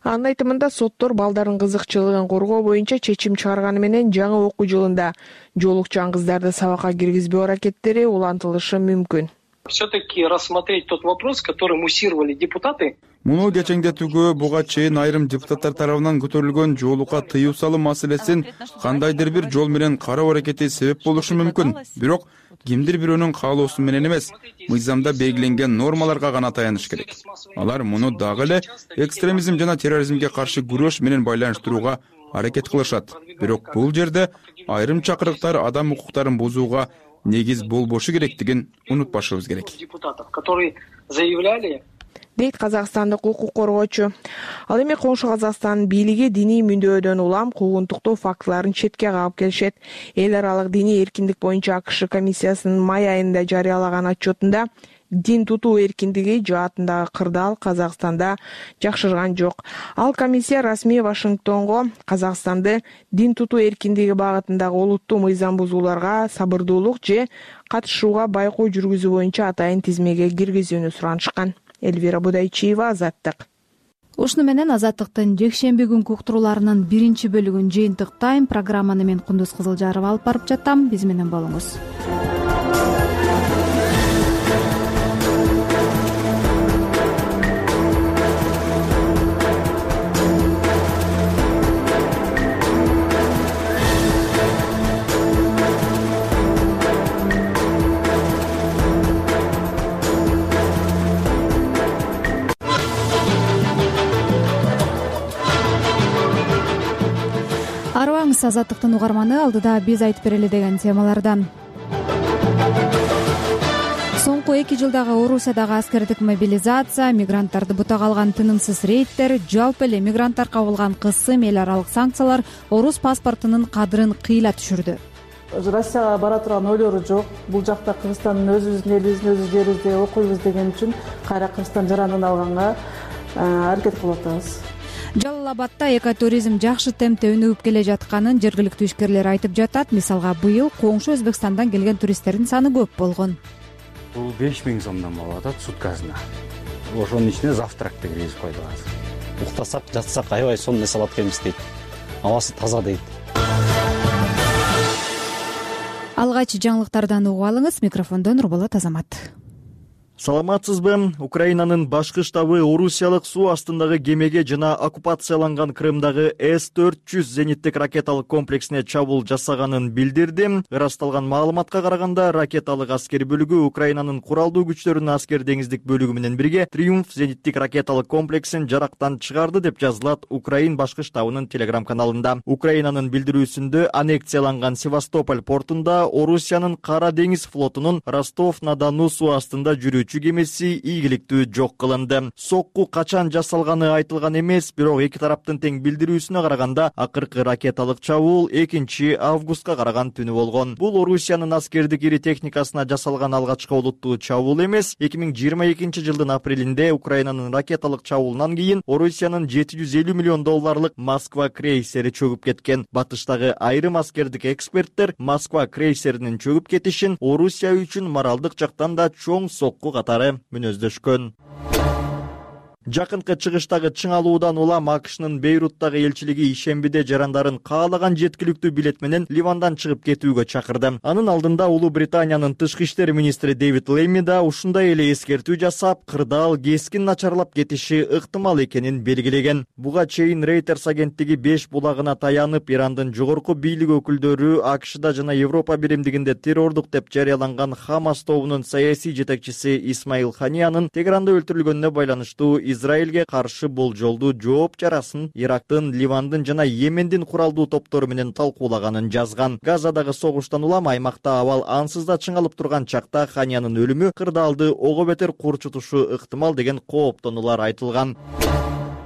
S10: Анын айтымында соттор балдардын кызыкчылыгын коргоо боюнча чечим чыгарганы менен жаңы окуу жылында жоолукчан кыздарды сабакка киргизбөө аракеттери улантылышы мүмкүн.
S14: Все-таки рассмотреть тот вопрос, который муссировали депутаты.
S15: Муну кечеңдетүүгө буга чейин айрым депутаттар тарабынан көтөрүлгөн жоолукка тыюу салуу маселесин кандайдыр бир жол менен кароо аракети себеп болушу мүмкүн. Бирок кимдир бирөөнүн каалоосу менен эмес, мыйзамда белгиленген нормаларга гана таяныш керек. Алар муну дагы эле экстремизм жана терроризмге каршы күрөш менен байланыштырууга аракет кылышат. Бирок бул жерде айрым чакырыктар адам укуктарын бузууга негиз болбошу керектигин унутпашыбыз керек.
S14: Депутатов, которые заявляли,
S10: дейт казакстандык укук коргоочу. Ал эми коңшу Казакстан бийлиги диний мүндөодөн улам куугунтуктоо фактыларын четке кагып келишет. Эл аралык диний эркиндик боюнча АКШ комиссиясынын май айында жарыялаган отчетунда дин тутуу эркиндиги жаатындагы кырдаал Казакстанда жакшырган жок. Ал комиссия расмий Вашингтонго Казакстанды дин тутуу эркиндиги багытындагы олуттуу мыйзам бузууларга сабырдуулук же катышууга байкоо жүргүзүү боюнча атайын тизмеге киргизүүнү суранышкан. Эльвира Будайчиева, Азаттык.
S2: Ушуну менен Азаттыктын жекшемби күнкү уктурууларынын биринчи бөлүгүн жыйынтыктайм. Программаны мен Кундуз Кызылжарова алып барып жатам. Биз менен болуңуз. Арыбаңыз, Азаттыктын угарманы, алдыда биз айтып берели деген темалардан. Соңку 2 жылдагы Орусиядагы аскердик мобилизация, мигранттарды бутага алган тынымсыз рейдтер, жалпы эле мигранттар кабылган кысым, эл аралык санкциялар орус паспортунун кадырын кыйла түшүрдү.
S16: Россияга бара турган ойлору жок. Бул жакта Кыргызстандын өзүбүздүн элибиздин өз жерибизде окуйбуз деген үчүн кайра Кыргызстан жарандыгын алганга аракет кылып атабыз.
S2: Жалал Абадда экотуризм жакшы темпте өнүгүп келе жатканын жергиликтүү ишкерлер айтып жатат. Мисалга, быйыл коңшу Өзбекстандан келген туристтердин саны көп болгон.
S17: Бул 5000 сомдон болуп атат суткасына. Ошонун ичине завтракты киргизип койдук азыр. Уктасак, жатсак аябай сонун эс алат экенбиз дейт. Абасы таза дейт.
S2: Алгач жаңылыктардан угуп алыңыз. Микрофондо Нурболот Азамат.
S5: Саламатсызбы? Украинанын башкы штабы орусиялык суу астындагы кемеге жана оккупацияланган Крымдагы С-400 зениттик ракеталык комплексине чабуул жасаганын билдирди. Ырасталган маалыматка караганда, ракеталык аскер бөлүгү Украинанын куралдуу күчтөрүнүн аскер деңиздик бөлүгү менен бирге Триумф зениттик ракеталык комплексин жарактан чыгарды деп жазылат Украин башкы штабынын телеграм-каналында. Украинанын билдирүүсүндө, аннексияланган Севастополь портунда Орусиянын Кара деңиз флотунун Ростов-на-Дону суу астында жүрүүчү кемеси ийгиликтүү жок кылынды. Сокку качан жасалганы айтылган эмес, бирок эки тараптын тең билдирүүсүнө караганда, акыркы ракеталык чабуул 2 августка караган түнү болгон. Бул Орусиянын аскердик ири техникасына жасалган алгачкы олуттуу чабуул эмес. 2022 жылдын апрелинде Украинанын ракеталык чабуулунан кийин Орусиянын $750 миллион Москва крейсери чөгүп кеткен. Батыштагы айрым аскердик эксперттер Москва крейсеринин чөгүп кетишин Орусия үчүн моралдык жактан да чоң сокку катары мүнөздөшкөн. Жакынкы чыгыштагы чыңалуудан улам АКШнын Бейруттагы элчилиги ишембиде жарандарын каалаган жеткиликтүү билет менен Ливандан чыгып кетүүгө чакырды. Анын алдында Улуу Британиянын тышкы иштер министри Дэвид Лейми да ушундай эле эскертүү жасап, кырдаал кескин начарлап кетиши ыктымал экенин белгилеген. Буга чейин Reuters агенттиги 5 булагына таянып, Ирандын жогорку бийлик өкүлдөрү АКШда жана Европа биримдигинде террордук деп жарыяланган Хамас тобунун саясий жетекчиси Исмаил Ханиянын Тегеранда өлтүрүлгөнүнө байланыштуу Израилге каршы болжолдуу жооп чарасын Ирактын, Ливандын жана Йемендин куралдуу топтору менен талкуулаганын жазган. Газадагы согуштан улам аймакта абал ансыз да чыңалып турган чакта Ханиянын өлүмү кырдаалды ого бетер курчутушу ыктымал деген кооптонуулар айтылган.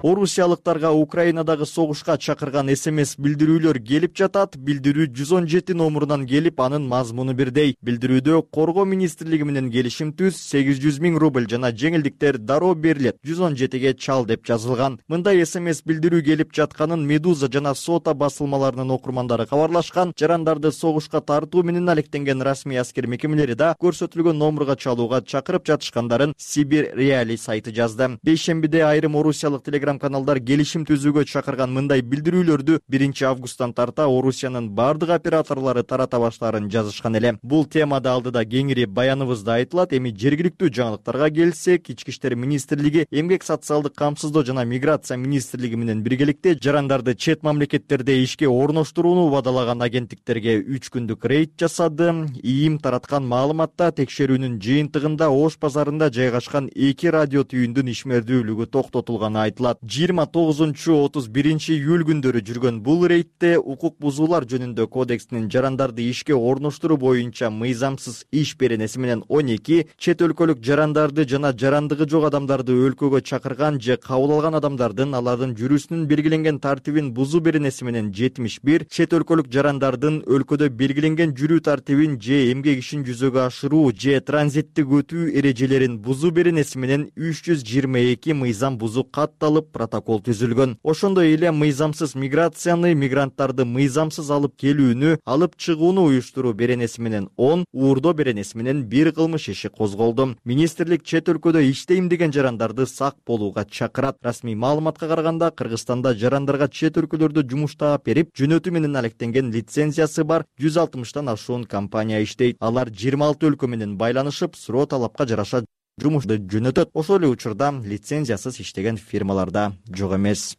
S5: Орусиялыктарга Украинадагы согушка чакырган СМС билдирүүлөр келип жатат. Билдирүү 117 номурунан келип, анын мазмуну бирдей. Билдирүүдө коргоо министрлиги менен келишим түз, 800 000 рубль жана жеңилдиктер дароо берилет. 117ге чал деп жазылган. Мындай СМС билдирүү келип жатканын Медуза жана Сота басылмаларынын окурмандары кабарлашкан. Жарандарды согушка тартуу менен алектенген расмий аскер мекемелери да көрсөтүлгөн номурга чалууга чакырып жатышкандарын Сибир Реали сайты жазды. Бейшембиде айрым орусиялык каналдар келишим түзүүгө чакырган мындай билдирүүлөрдү 1 августтан тарта Орусиянын бардык операторлору тарата баштаарын жазышкан эле. Бул темада алдыда кеңири баяныбызда айтылат. Эми жергиликтүү жаңылыктарга келсек, Ички иштер министрлиги, Эмгек социалдык камсыздоо жана миграция министрлиги менен биргеликте жарандарды чет мамлекеттерде ишке орноштурууну убадалаган агенттиктерге 3 күндүк рейд жасады. ИИМ тараткан маалыматта текшерүүнүн жыйынтыгында Ош базарында жайгашкан 2 радио түйүндүн ишмердүүлүгү токтотулганы айтылат. 29-31 июль күндөрү жүргөн бул рейдте укук бузуулар жөнүндө кодекстин жарандарды ишке орноштуруу боюнча мыйзамсыз иш беренеси менен 12, чет өлкөлүк жарандарды жана жарандыгы жок адамдарды өлкөгө чакырган же кабыл алган адамдардын алардын жүрүүсүнүн белгиленген тартибин бузуу беренеси менен 71, чет өлкөлүк жарандардын өлкөдө белгиленген жүрүү тартибин же эмгек ишин жүзөгө ашыруу же транзиттик өтүү эрежелерин бузуу беренеси менен 322 мыйзам бузуу катталып сот протокол түзүлгөн. Ошондой эле мыйзамсыз миграцияны, мигранттарды мыйзамсыз алып келүүнү, алып чыгууну уюштуруу беренеси менен 10, уурдоо беренеси менен 1 кылмыш иши козголду. Министрлик чет өлкөдө иштейм деген жарандарды сак болууга чакырат. Расмий маалыматка караганда, Кыргызстанда жарандарга чет өлкөлөрдө жумуштап берип, жөнөтүү менен алектенген лицензиясы бар 160тан ашуун компания иштейт. Алар 26 өлкө менен байланышып, суроо талапка жараша жумушты жөнөтөт. Ошол эле учурда лицензиясыз иштеген фирмаларда жок эмес.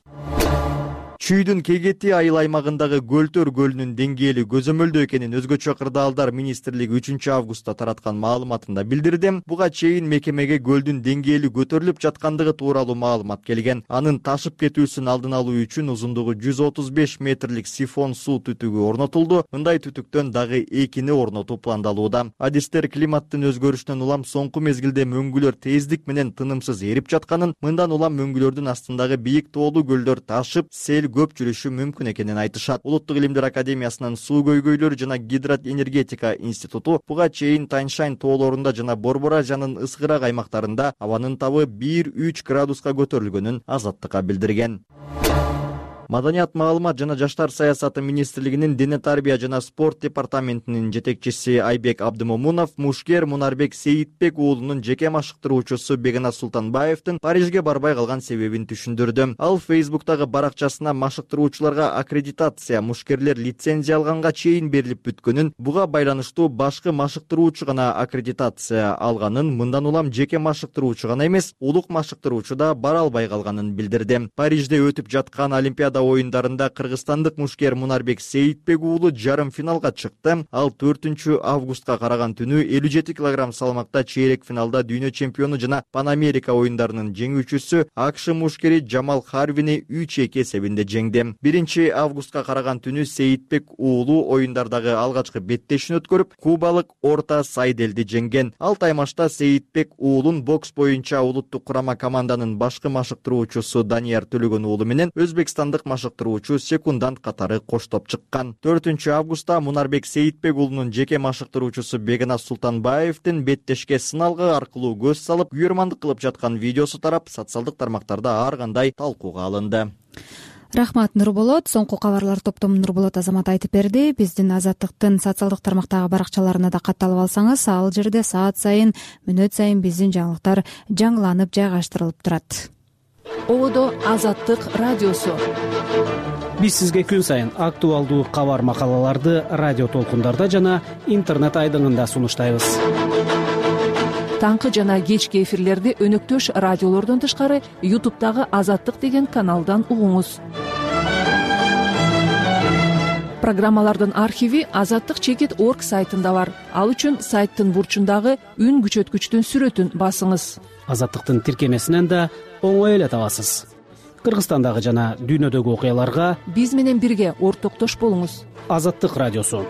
S5: Чүйдүн Кегети айыл аймагындагы Көлтөр көлүнүн деңгээли көзөмөлдөө экенин Өзгөчө кырдаалдар министрлиги 3 августта тараткан маалыматында билдирди. Буга чейин мекемеге көлдүн деңгээли көтөрүлүп жаткандыгы тууралуу маалымат келген. Анын ташып кетүүсүн алдын алуу үчүн узундугу 135 метрлик сифон суу түтүгү орнотулду. Мындай түтүктөн дагы 2-ни орнотуу пландалууда. Адистер климаттын өзгөрүшүнөн улам соңку мезгилде мөңгүлөр тездик менен тынымсыз эрип жатканын, мындан улам мөңгүлөрдүн астындагы бийик тоолуу көлдөр ташып, сел көп жүрүшү мүмкүн экенин айтышат. Улуттук илимдер академиясынын суу көйгөйлөр жана гидроэнергетика институту буга чейин Таньшань тоолорунда жана Борборажанын ысгырак аймактарында абанын табы 1-3 градуска көтөрүлгөнүн Азаттыкка билдирген. Маданият, маалымат жана жаштар саясаты министрлигинин дене тарбия жана спорт департаментинин жетекчиси Айбек Абдымомунов мушкер Мунарбек Сейитбек уулунун жеке машыктыруучусу Бегназ Султанбаевдин Парижге барбай калган себебин түшүндүрдү. Ал Фейсбуктагы баракчасына машыктыруучуларга аккредитация, мушкерлер лицензия алганга чейин берилип бүткөнүн, буга байланыштуу башкы машыктыруучу гана аккредитация алганын, мындан улам жеке машыктыруучу гана эмес, улук машыктыруучу да бара албай калганын билдирди. Парижде өтүп жаткан Олимпиада оюндарында кыргызстандык мушкер Мунарбек Сейитбек уулу жарым финалга чыкты. Ал 4 августка караган түнү 57 кг салмакта чейрек финалда дүйнө чемпиону жана Пан Америка оюндарынын жеңүүчүсү АКШ мушкери Джамал Харвини 3-2 эсебинде жеңди. 1 августка караган түнү Сейитбек уулу оюндардагы алгачкы беттешин өткөрүп, кубалык Орта Сайделди жеңген. Ал таймашта Сейитбек уулун бокс боюнча улуттук курама команданын башкы машыктыруучусу Данияр Төлөгөн уулу менен өзбекстандык машыктыруучу секундант катары коштоп чыккан. 4 августта Мунарбек Сейитбек уулунун жеке машыктыруучусу Бегназ Султанбаевдин беттешке сыналгы аркылуу көз салып, күйөрмандык кылып жаткан видеосу тарап, социалдык тармактарда ар кандай талкууга алынды.
S2: Рахмат, Нурболот. Соңку кабарлар топтому Нурболот Азамат айтып берди. Биздин Азаттыктын социалдык тармактагы баракчаларына да катталып алсаңыз, ал жерде саат сайын, мүнөт сайын биздин жаңылыктар жаңыланып жайгаштырылып турат.
S1: Ободо Азаттык радиосу.
S18: Биз сизге күн сайын актуалдуу кабар макалаларды радио толкундарда жана интернет айдыңында сунуштайбыз.
S1: Таңкы жана кечки эфирлерди өнөктөш радиолордон тышкары YouTube'дагы Азаттык деген каналдан угуңуз. Программалардын архиви azattik.org сайтында бар. Ал үчүн сайттын бурчундагы үн күчөткүчтүн сүрөтүн басыңыз.
S18: Азаттыктын тиркемесинен да оңой эле табасыз. Кыргызстандагы жана дүйнөдөгү окуяларга
S1: биз менен бирге ортоктош болуңуз.
S18: Азаттык радиосу.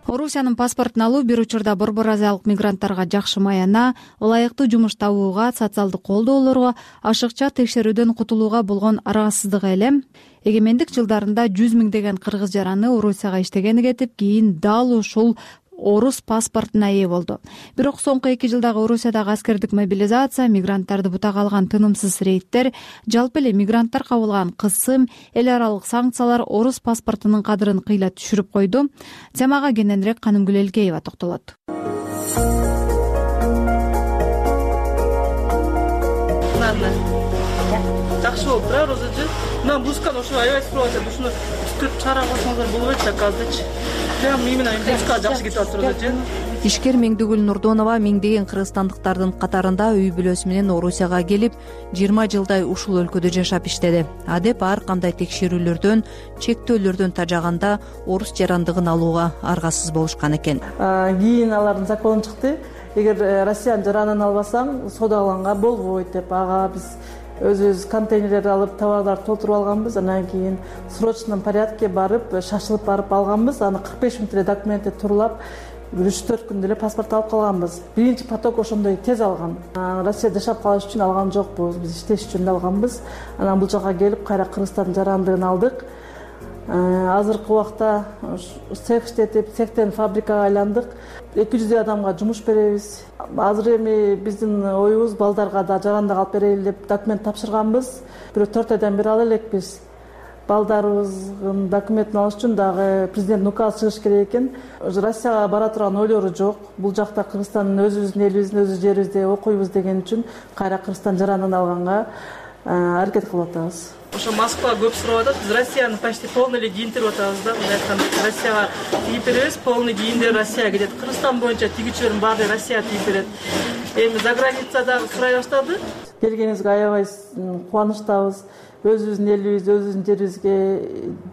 S2: Орусиянын паспортун алуу бир учурда Борбор Азиялык мигранттарга жакшы маяна, ылайыктуу жумуш табууга, социалдык колдоолорго, ашыкча текшерүүдөн кутулууга болгон аргасыздык эле. Эгемендик жылдарында 100 миңдеген кыргыз жараны Орусияга иштегени кетип, кийин дал ушул орус паспортуна ээ болду. Бирок соңку 2 жылдагы Орусиядагы аскердик мобилизация, мигранттарды бутага алган тынымсыз рейдтер, жалпы эле мигранттар кабылган кысым, эл аралык санкциялар орус паспортунун кадырын кыйла түшүрүп койду. Темага кененирээк Канымгүл Элкеева токтолот.
S16: Жакшы болуп турабы Розажы? Мына блузканы ошо аябай сурап атат. Ушуну түтүп чыгара койсоңуздар болбойт да казырчы. Прям именно блузка жакшы кетип атат Розажы.
S19: Ишкер Меңдигүл Нурдонова миңдеген кыргызстандыктардын катарында үй бүлөсү менен Орусияга келип, 20 жылдай ушул өлкөдө жашап иштеди. Адеп ар кандай текшерүүлөрдөн, чектөөлөрдөн тажаганда орус жарандыгын алууга аргасыз болушкан экен.
S16: Кийин алардын закону чыкты. Эгер Россиянын жаранын албасаң, содаланга болбойт деп, ага биз өзүбүз контейнерлерди алып, товарларды толтуруп алганбыз. Анан кийин срочном порядке барып, шашылып барып алганбыз. Аны 45 мүнөт эле документти турлап, 3-4 күндө эле паспорт алып калганбыз. Биринчи поток ошондой тез алган. Россияда жашап калыш үчүн алган жокпуз, биз иштеш үчүн алганбыз. Анан бул жака келип, кайра Кыргызстандын жарандыгын алдык. Азыркы убакта цех иштетип, цехтен фабрикага айландык. 200 адамга жумуш беребиз. Азыр эми биздин оюбуз балдарга да жарандык алып берели деп документ тапшырганбыз. Бирок 4 айдан бери ала элекпиз. Балдарыбыздын документин алыш үчүн дагы президент указ чыгыш керек экен. Россияга бара турган ойлору жок. Бул жакта Кыргызстандын өзүбүздүн элибиздин өзү жерибизде окуйбуз деген үчүн кайра Кыргызстан жарандыгын алганга аракет кылып атабыз. Ошо Москва көп сурап атат. Биз Россияны почти полный эле кийинтирип атабыз да. Мындай айтканда Россияга тигип беребиз, полный кийимдер Россияга кетет. Кыргызстан боюнча тигүүчүлөрдүн баары Россияга тигип берет. Эми за границада сурай баштады. Келгениңизге аябай кубанычтабыз. Өзүбүздүн элибиз, өзүбүздүн жерибизге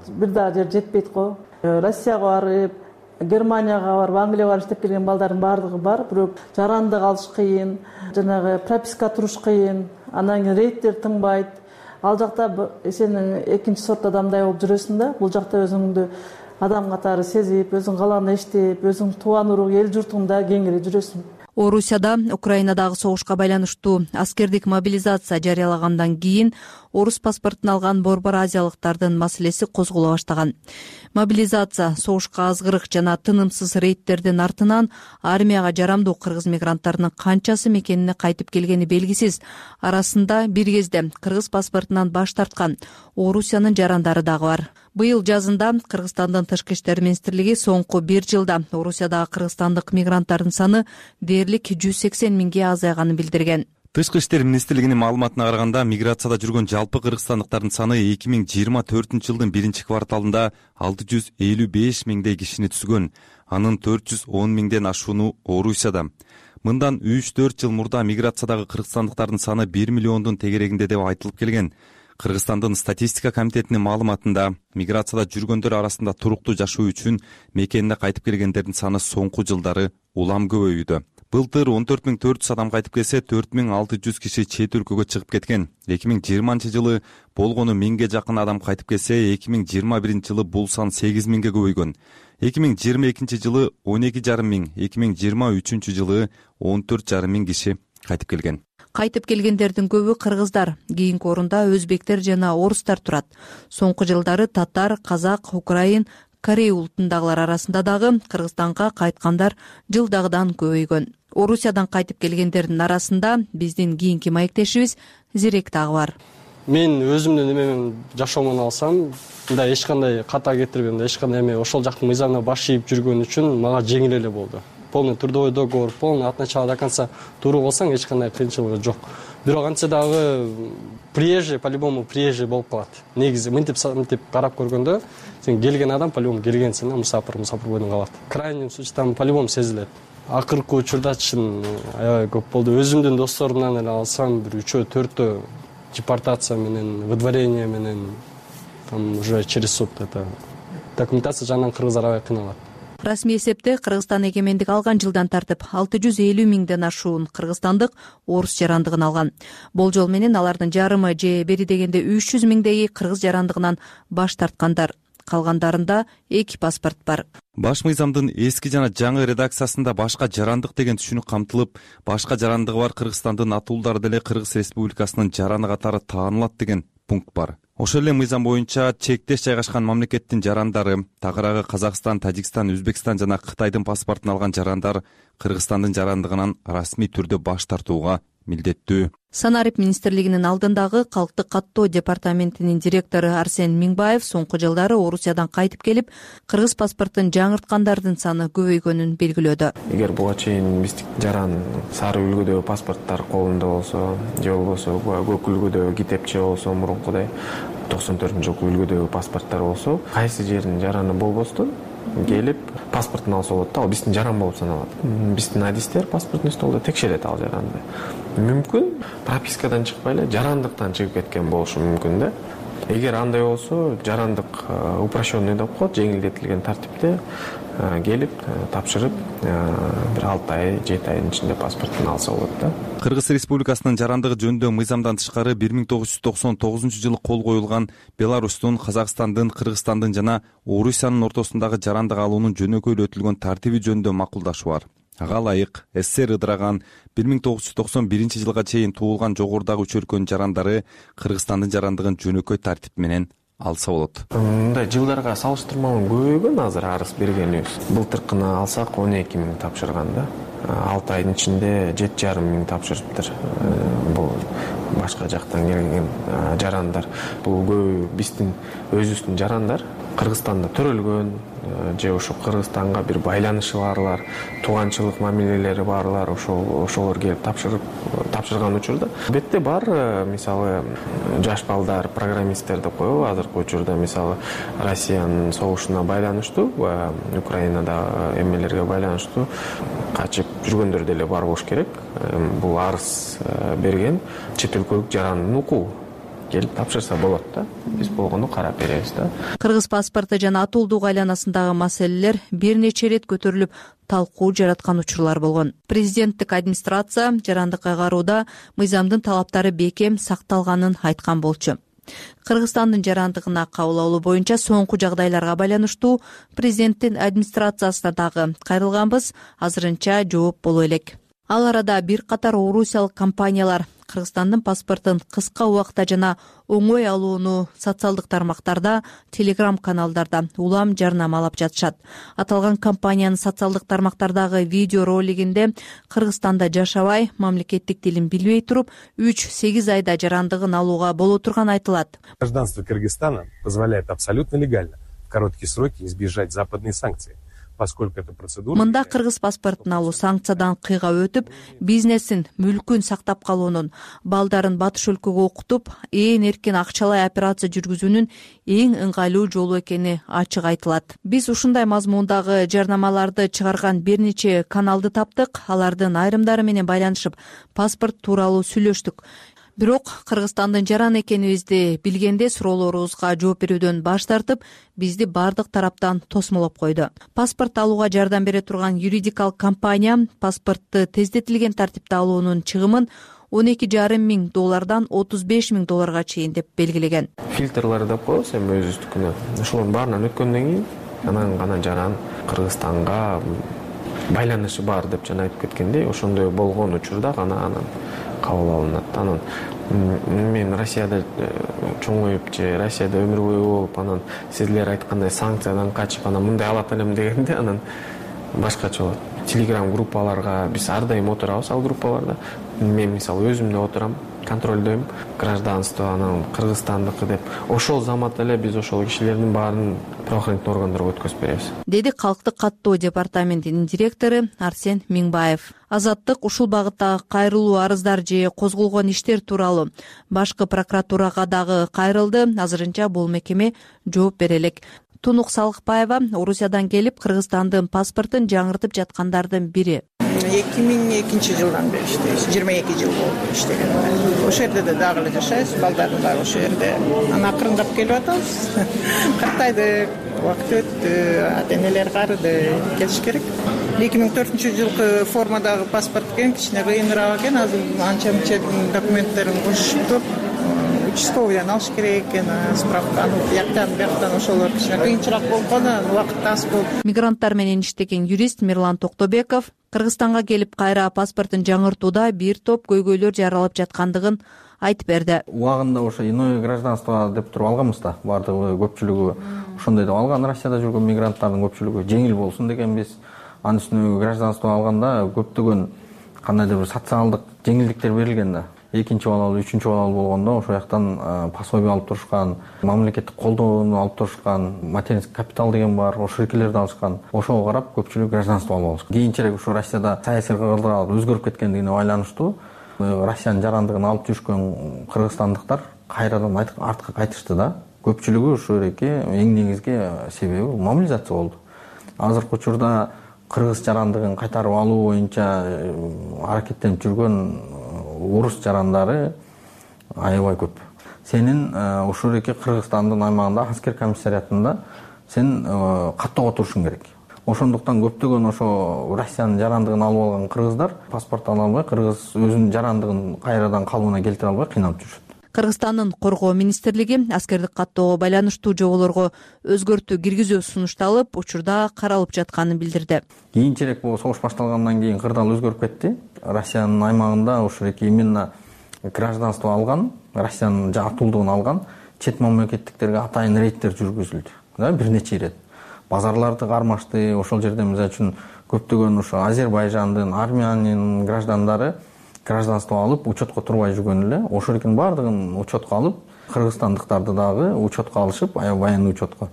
S16: бир дагы жер жетпейт го. Россияга барып, Германияга барып, Англияга барып иштеп келген балдардын баардыгы бар, бирок жарандык алыш кыйын, жанагы прописка туруш кыйын, анан кийин рейдтер тынбайт. Ал жакта сен экинчи сорт адамдай болуп жүрөсүң да. Бул жакта өзүңдү адам катары сезип, өзүң каалагандай иштеп, өзүң тууган урук, эл журтуңда кеңири жүрөсүң.
S19: Орусияда Украинадагы согушка байланыштуу аскердик мобилизация жарыялагандан кийин орус паспортун алган борбор азиялыктардын маселеси козголо баштаган. Мобилизация, согушка азгырык жана тынымсыз рейдтердин артынан армияга жарамдуу кыргыз мигранттарынын канчасы мекенине кайтып келгени белгисиз. Арасында бир кезде кыргыз паспортунан баш тарткан Орусиянын жарандары дагы бар. Быйыл жазында Кыргызстандын Тышкы иштер министрлиги соңку бир жылда Орусиядагы кыргызстандык мигранттардын саны дээрлик 180 миңге азайганын билдирген.
S20: Тышкы иштер министрлигинин маалыматына караганда, миграцияда жүргөн жалпы кыргызстандыктардын саны 2024 жылдын биринчи кварталында 655 миңдей кишини түзгөн. Анын 410 миңден ашууну Орусияда. Мындан 3-4 жыл мурда миграциядагы кыргызстандыктардын саны 1 миллиондун тегерегинде деп айтылып келген. Кыргызстандын статистика комитетинин маалыматында миграцияда жүргөндөр арасында туруктуу жашоо үчүн мекенине кайтып келгендердин саны соңку жылдары улам көбөйүүдө. Былтыр 14.400 адам кайтып келсе, 4.600 киши чет өлкөгө чыгып кеткен. 2020 жылы болгону 1000ге жакын адам кайтып келсе, 2021 жылы бул сан 8 миңге көбөйгөн. 2022 жылы 12,5 миң, 2023 жылы 14,5 миң киши кайтып келген.
S19: Кайтып келгендердин көбү кыргыздар, кийинки орунда өзбектер жана орустар турат. Соңку жылдары татар, казак, украин, корей улутундагылар арасында дагы Кыргызстанга кайткандар жылдагыдан көбөйгөн. Орусиядан кайтып келгендердин арасында биздин кийинки маектешибиз Зирек дагы бар.
S21: Мен өзүмдүн эмемен жашоомун алсам, мындай эч кандай ката кетирбейм, эч кандай эме ошол жактын мыйзамына баш ийип жүргөн үчүн мага жеңил эле болду. Полный трудовой договор, полный от начала до конца туру болсаң эч кандай кыйынчылыгы жок. Бирок антсе дагы приезжий, по-любому приезжий болуп калат. Негизи мынтип карап көргөндө, сен келген адам по-любому келгенсиң, мусафир бойдон калат. Крайний случай там по-любому сезилет. Акыркы учурда чын аябай көп болду. Өзүмдүн досторумдан эле алсам, бир 3-4 депортация менен, выдворение менен, там уже через суд это документация жагынан кыргыздар аябай кыйналат.
S19: Расмий эсепте Кыргызстан эгемендик алган жылдан тартып 650 миңден ашуун кыргызстандык орус жарандыгын алган. Болжол менен алардын жарымы же бери дегенде 300 миңдеги кыргыз жарандыгынан баш тарткандар. Калгандарында 2 паспорт бар.
S20: Баш мыйзамдын эски жана жаңы редакциясында башка жарандык деген түшүнүк камтылып, башка жарандыгы бар Кыргызстандын атуулдары деле Кыргыз Республикасынын жараны катары таанылат деген пункт бар. Ошол эле мыйзам боюнча чектеш жайгашкан мамлекеттин жарандары, тагыраагы Казакстан, Тажикстан, Өзбекстан жана Кытайдын паспортун алган жарандар Кыргызстандын жарандыгынан расмий түрдө баш тартууга милдеттүү.
S19: Санарип министрлигинин алдындагы калктык каттоо департаментинин директору Арсен Миңбаев соңку жылдары Орусиядан кайтып келип, кыргыз паспортун жаңырткандардын саны көбөйгөнүн белгилөөдө.
S22: Эгер буга чейин биздин жаран сары үлгүдөгү паспорттор колунда болсо, же болбосо көк үлгүдөгү китепче болсо, мурункудай 94-жылкы үлгүдөгү паспорттор болсо, кайсы жердин жараны болбостон келип паспортун алса болот да, ал биздин жаран болуп саналат. Биздин адистер паспортный столдо текшерет ал жаранды. Мүмкүн пропискадан чыкпай эле жарандыктан чыгып кеткен болушу мүмкүн да. Эгер андай болсо, жарандык упрощенный деп коет, жеңилдетилген тартипте келип тапшырып, бир 6 ай, 7 айдын ичинде паспортун алса болот да.
S20: Кыргыз Республикасынын жарандыгы жөнүндө мыйзамдан тышкары 1999 кол коюлган Беларустун, Казакстандын, Кыргызстандын жана Орусиянын ортосундагы жарандык алуунун жөнөкөйлөтүлгөн тартиби жөнүндө макулдашуу бар. Ага ылайык СССР ыдыраган 1991 жылга чейин туулган жогорудагы үч өлкөнүн жарандары Кыргызстандын жарандыгын жөнөкөй тартип менен алса болот.
S22: Мындай жылдарга салыштырмалуу көбөйгөн азыр арыз бергенибиз. Былтыркыны алсак 12 миң тапшырган да. 6 айдын ичинде 7,5 миң тапшырыптыр. Бул башка жактан келген жарандар. Бул көбү биздин өзүбүздүн жарандар. Кыргызстанда төрөлгөн же ошо Кыргызстанга бир байланышы барлар, тууганчылык мамилелери барлар ошолор келип тапшырган учурда. Бетте бар мисалы жаш балдар, программисттер деп коебу. Азыркы учурда мисалы Россиянын согушуна байланыштуу, Украинада эмелерге байланыштуу качып жүргөндөр деле бар болуш керек. Бул арыз берген чет өлкөлүк жарандын укугу. Келип тапшырса болот да. Биз болгону карап беребиз да.
S19: Кыргыз паспорту жана атуулдук айланасындагы маселелер бир нече ирет көтөрүлүп, талкуу жараткан учурлар болгон. Президенттик администрация жарандык кайгарууда мыйзамдын талаптары бекем сакталганын айткан болчу. Кыргызстандын жарандыгына кабыл алуу боюнча соңку жагдайларга байланыштуу президенттин администрациясына дагы кайрылганбыз, азырынча жооп боло элек. Ал арада бир катар орусиялык компаниялар Кыргызстандын паспортун кыска убакта жана оңой алууну социалдык тармактарда, телеграм каналдарда улам жарнамалап жатышат. Аталган компаниянын социалдык тармактардагы видео ролигинде Кыргызстанда жашабай, мамлекеттик тилин билбей туруп, 3-8 айда жарандыгын алууга боло турганы айтылат.
S6: Гражданство Кыргызстана позволяет абсолютно легально в короткие сроки избежать западной санкции.
S19: Мында кыргыз паспортун алуу санкциядан кыйга өтүп, бизнесин, мүлкүн сактап калуунун, балдарын батыш өлкөгө окутуп, ээн эркин акчалай операция жүргүзүүнүн эң ыңгайлуу жолу экени ачык айтылат. Биз ушундай мазмундагы жарнамаларды чыгарган бир нече каналды таптык, алардын айрымдары менен байланышып, паспорт тууралуу сүйлөштүк. Бирок Кыргызстандын жаран экенибизди билгенде суроолорубузга жооп берүүдөн баш тартып, бизди бардык тараптан тосмолоп койду. Паспорт алууга жардам бере турган юридикалык компания паспортту тездетилген тартипте алуунун чыгымын $12,5 миң $35 миң чейин деп белгилеген.
S22: Фильтрлар деп коебуз эми өзүбүздүкүнө. Ошолордун баарынан өткөндөн кийин анан гана жаран Кыргызстанга байланышы бар деп жана айтып кеткендей, ошондой болгон учурда гана анан кабыл алынат. Анан мен Россияда чоңоюп же Россияда өмүр бою болуп, анан силер айткандай санкциядан качып, анан мындай алат элем дегенде анан башкача болот. Телеграм группаларга биз ар дайым отурабыз, ал группаларда. Мен мисалы өзүм да отурам, контролдойм, гражданство анан Кыргызстандыкы деп. Ошол замат эле биз ошол кишилердин баарын правоохранительный органдарга өткөзүп беребиз.
S19: Деди Калктык каттоо департаментинин директору Арсен Миңбаев. Азаттык ушул багыттагы кайрылуу арыздар же козголгон иштер тууралуу башкы прокуратурага дагы кайрылды. Азырынча бул мекеме жооп бере элек. Тунук Салыкбаева Орусиядан келип Кыргызстандын паспортун жаңыртып жаткандардын бири.
S7: 2002-жылдан бери иштейбиз. 22 жыл болду иштеген. Ошол жерде дагы эле жашайбыз, балдардын баары ошол жерде. Анан акырындап келип атабыз. Картайды, убакыт өттү, ата-энелер карыды, келиш керек. 2004-жылкы формадагы паспорт экен, кичине кыйыныраак экен. Азыр анча-мынча документтерин кошуп участковыйдан алыш керек экен, справканы бияктан ошолор кичине кыйынчыраак болгон, убакыт аз болуп.
S19: Мигранттар менен иштеген юрист Мирлан Токтобеков Кыргызстанга келип кайра паспортун жаңыртууда бир топ көйгөйлөр жаралып жаткандыгын айтып берди.
S23: Убагында ошо иное гражданство деп туруп алганбыз да, бардыгы көпчүлүгү ошондой деп алган. Россияда жүргөн мигранттардын көпчүлүгү жеңил болсун дегенбиз. Анын үстүнө гражданство алганда көптөгөн кандайдыр бир социалдык жеңилдиктер берилген да. Экинчи балалуу, үчүнчү балалуу болгондо ошол жактан пособие алып турушкан, мамлекеттик колдоону алып турушкан, материнский капитал деген бар, ошол эркелерди алышкан. Ошого карап көпчүлүк гражданство алып алышкан. Кийинчерээк ушу Россияда саясий кыргыздар өзгөрүп кеткендигине байланыштуу Россиянын жарандыгын алып жүрүшкөн кыргызстандыктар кайрадан артка кайтышты да. Көпчүлүгү ушул эки эң негизги себеби мобилизация болду. Азыркы учурда кыргыз жарандыгын кайтарып алуу боюнча аракеттенип жүргөн орус жарандары аябай көп. Сенин ушул эки Кыргызстандын аймагында аскер комиссариатында сен каттоого турушуң керек. Ошондуктан көптөгөн ошо Россиянын жарандыгын алып алган кыргыздар паспорт ала албай, кыргыз өзүнүн жарандыгын кайрадан калыбына келтире албай кыйналып жүрүшөт.
S19: Кыргызстандын коргоо министрлиги аскердик каттоого байланыштуу жоболорго өзгөртүү киргизүү сунушталып, учурда каралып жатканын билдирди.
S23: Кийинчерээк бул согуш башталгандан кийин кырдаал өзгөрүп кетти. Россиянын аймагында ушул эки именно гражданство алган, Россиянын атуулдугун алган чет мамлекеттиктерге атайын рейдтер жүргүзүлдү, бир нече ирет. Базарларды кармашты. Ошол жерде мисалы үчүн көптөгөн ошо Азербайжандын, Армениянын граждандары гражданство алып, учетко турбай жүргөн эле. Ошолордун баардыгын учетко алып, кыргызстандыктарды дагы учетко алышып, военный учетко.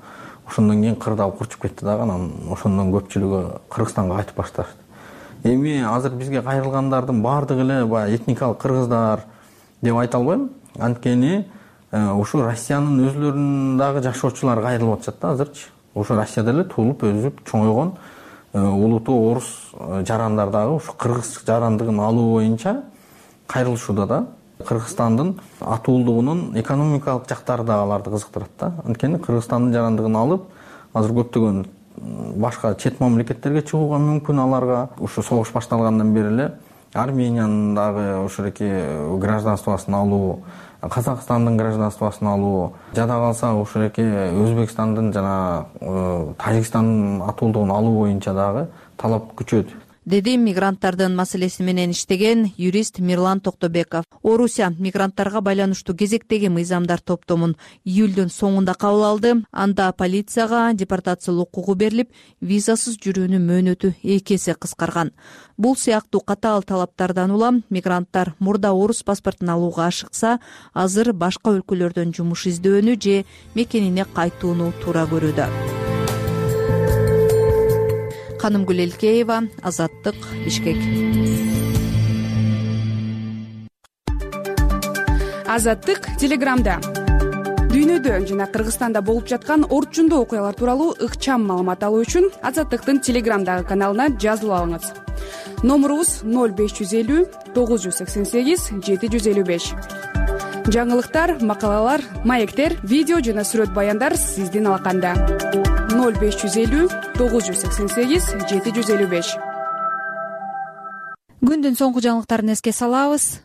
S23: Ошондон кийин кырдаал курчуп кетти дагы, анан ошондон көпчүлүгү Кыргызстанга кайтып башташты. Эми азыр бизге кайрылгандардын баардыгы эле баягы этникалык кыргыздар деп айта албайм. Анткени ушу Россиянын өзүлөрүнүн дагы жашоочулары кайрылып атышат да азырчы. Ошо Россияда эле туулуп, өсүп, чоңойгон улуттуу орус жарандар дагы ушу кыргыз жарандыгын алуу боюнча кайрылышууда да. Кыргызстандын атуулдугунун экономикалык жактары да аларды кызыктырат да. Анткени Кыргызстандын жарандыгын алып, азыр көптөгөн башка чет мамлекеттерге чыгууга мүмкүн аларга. Ушу согуш башталгандан бери эле Армениянын дагы ошоки гражданствосын алуу, Казакстандын гражданствосын алуу, жада калса ошоки Өзбекстандын жана Тажикстандын атуулдугун алуу боюнча дагы талап күчөйт,
S19: деди мигранттардын маселеси менен иштеген юрист Мирлан Токтобеков. Орусия мигранттарга байланыштуу кезектеги мыйзамдар топтомун июлдун соңунда кабыл алды. Анда полицияга депортациялоо укугу берилип, визасыз жүрүүнүн мөөнөтү 2 эсе кыскарган. Бул сыяктуу катаал талаптардан улам мигранттар мурда орус паспортун алууга ашыкса, азыр башка өлкөлөрдөн жумуш издөөнү же мекенине кайтууну туура көрүүдө. Канымгүл Элкеева, Азаттык, Бишкек.
S3: Азаттык Телеграмда дүйнөдө жана Кыргызстанда болуп жаткан орчундуу окуялар тууралуу ыкчам маалымат алуу үчүн Азаттыктын Телеграмдагы каналына жазылып алыңыз. Номурубуз 0550 988 755. Жаңылыктар, макалалар, маектер, видео жана сүрөт баяндар сиздин алаканда. 0550 988 755.
S2: Күндүн соңку жаңылыктарын эске салабыз.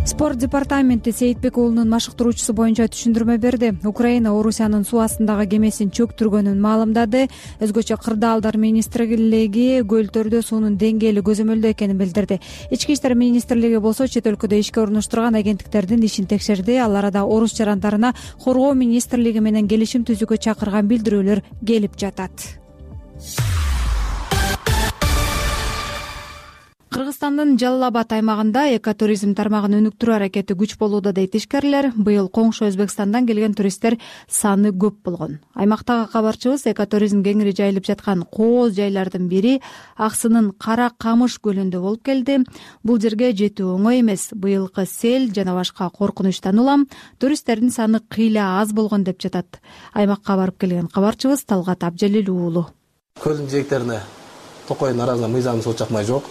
S2: Спорт департаменти Сейитбек уулунун машыктыруучусу боюнча түшүндүрмө берди. Украина Орусиянын суу астындагы кемесин чөктүргөнүн маалымдады. Өзгөчө Кырдаалдар министрлиги көлдөрдө суунун деңгээли көзөмөлдүү экенин билдирди. Ички иштер министрлиги болсо чет өлкөдө ишке орноштурган агенттиктердин ишин текшерди. Ал арада орус жарандарына коргоо министрлиги менен келишим түзүүгө чакырган билдирүүлөр келип жатат. Кыргызстандын Жалал Абад аймагында экотуризм тармагын өнүктүрүү аракети күч болууда дейт ишкерлер. Быйыл коңшу Өзбекстандан келген туристтер саны көп болгон. Аймактагы кабарчыбыз экотуризм кеңири жайылып жаткан кооз жайлардын бири Аксынын Кара Камыш көлүндө болуп келди. Бул жерге жетүү оңой эмес. Быйылкы сел жана башка коркунучтан улам туристтердин саны кыйла аз болгон деп жатат. Аймакка барып келген кабарчыбыз Талгат Абжалил уулу.
S8: Көлдүн жээктерине токойдун арасында мыйзам суу чакмай жок.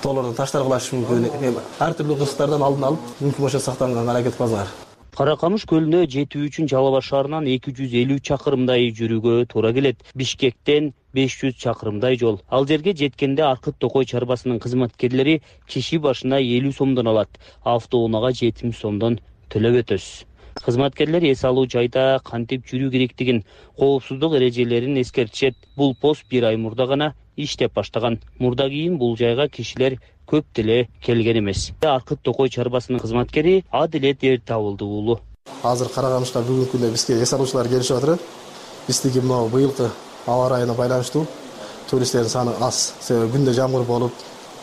S8: Толордон таштар кылыш мүмкүн. Ар түрдүү кырсыктардан алдын алып, мүмкүн болсо сактанганга аракет кылыңар.
S9: Кара Камыш көлүнө жетүү үчүн Жалал Абад шаарынан 250 чакырымдай жүрүүгө туура келет. Бишкектен 500 чакырымдай жол. Ал жерге жеткенде Аркыт Токой чарбасынын кызматкерлери киши башына 50 сомдон алат. Автоунаага 70 сомдон төлөп өтөсүз. Кызматкерлер эс алуу жайда кантип жүрүү керектигин, коопсуздук эрежелерин эскертишет. Бул пост 1 ай мурда гана иштеп баштаган. Мурда кийин бул жайга кишилер көп деле келген эмес. Аркыт Токой чарбасынын кызматкери Адилет Эртабылды уулу.
S8: Азыр Кара Камышка бүгүнкү күндө бизге эс алуучулар келишип атыр. Биздики мына быйылкы аба ырайына байланыштуу туристтердин саны аз. Себеби күндө жамгыр болуп,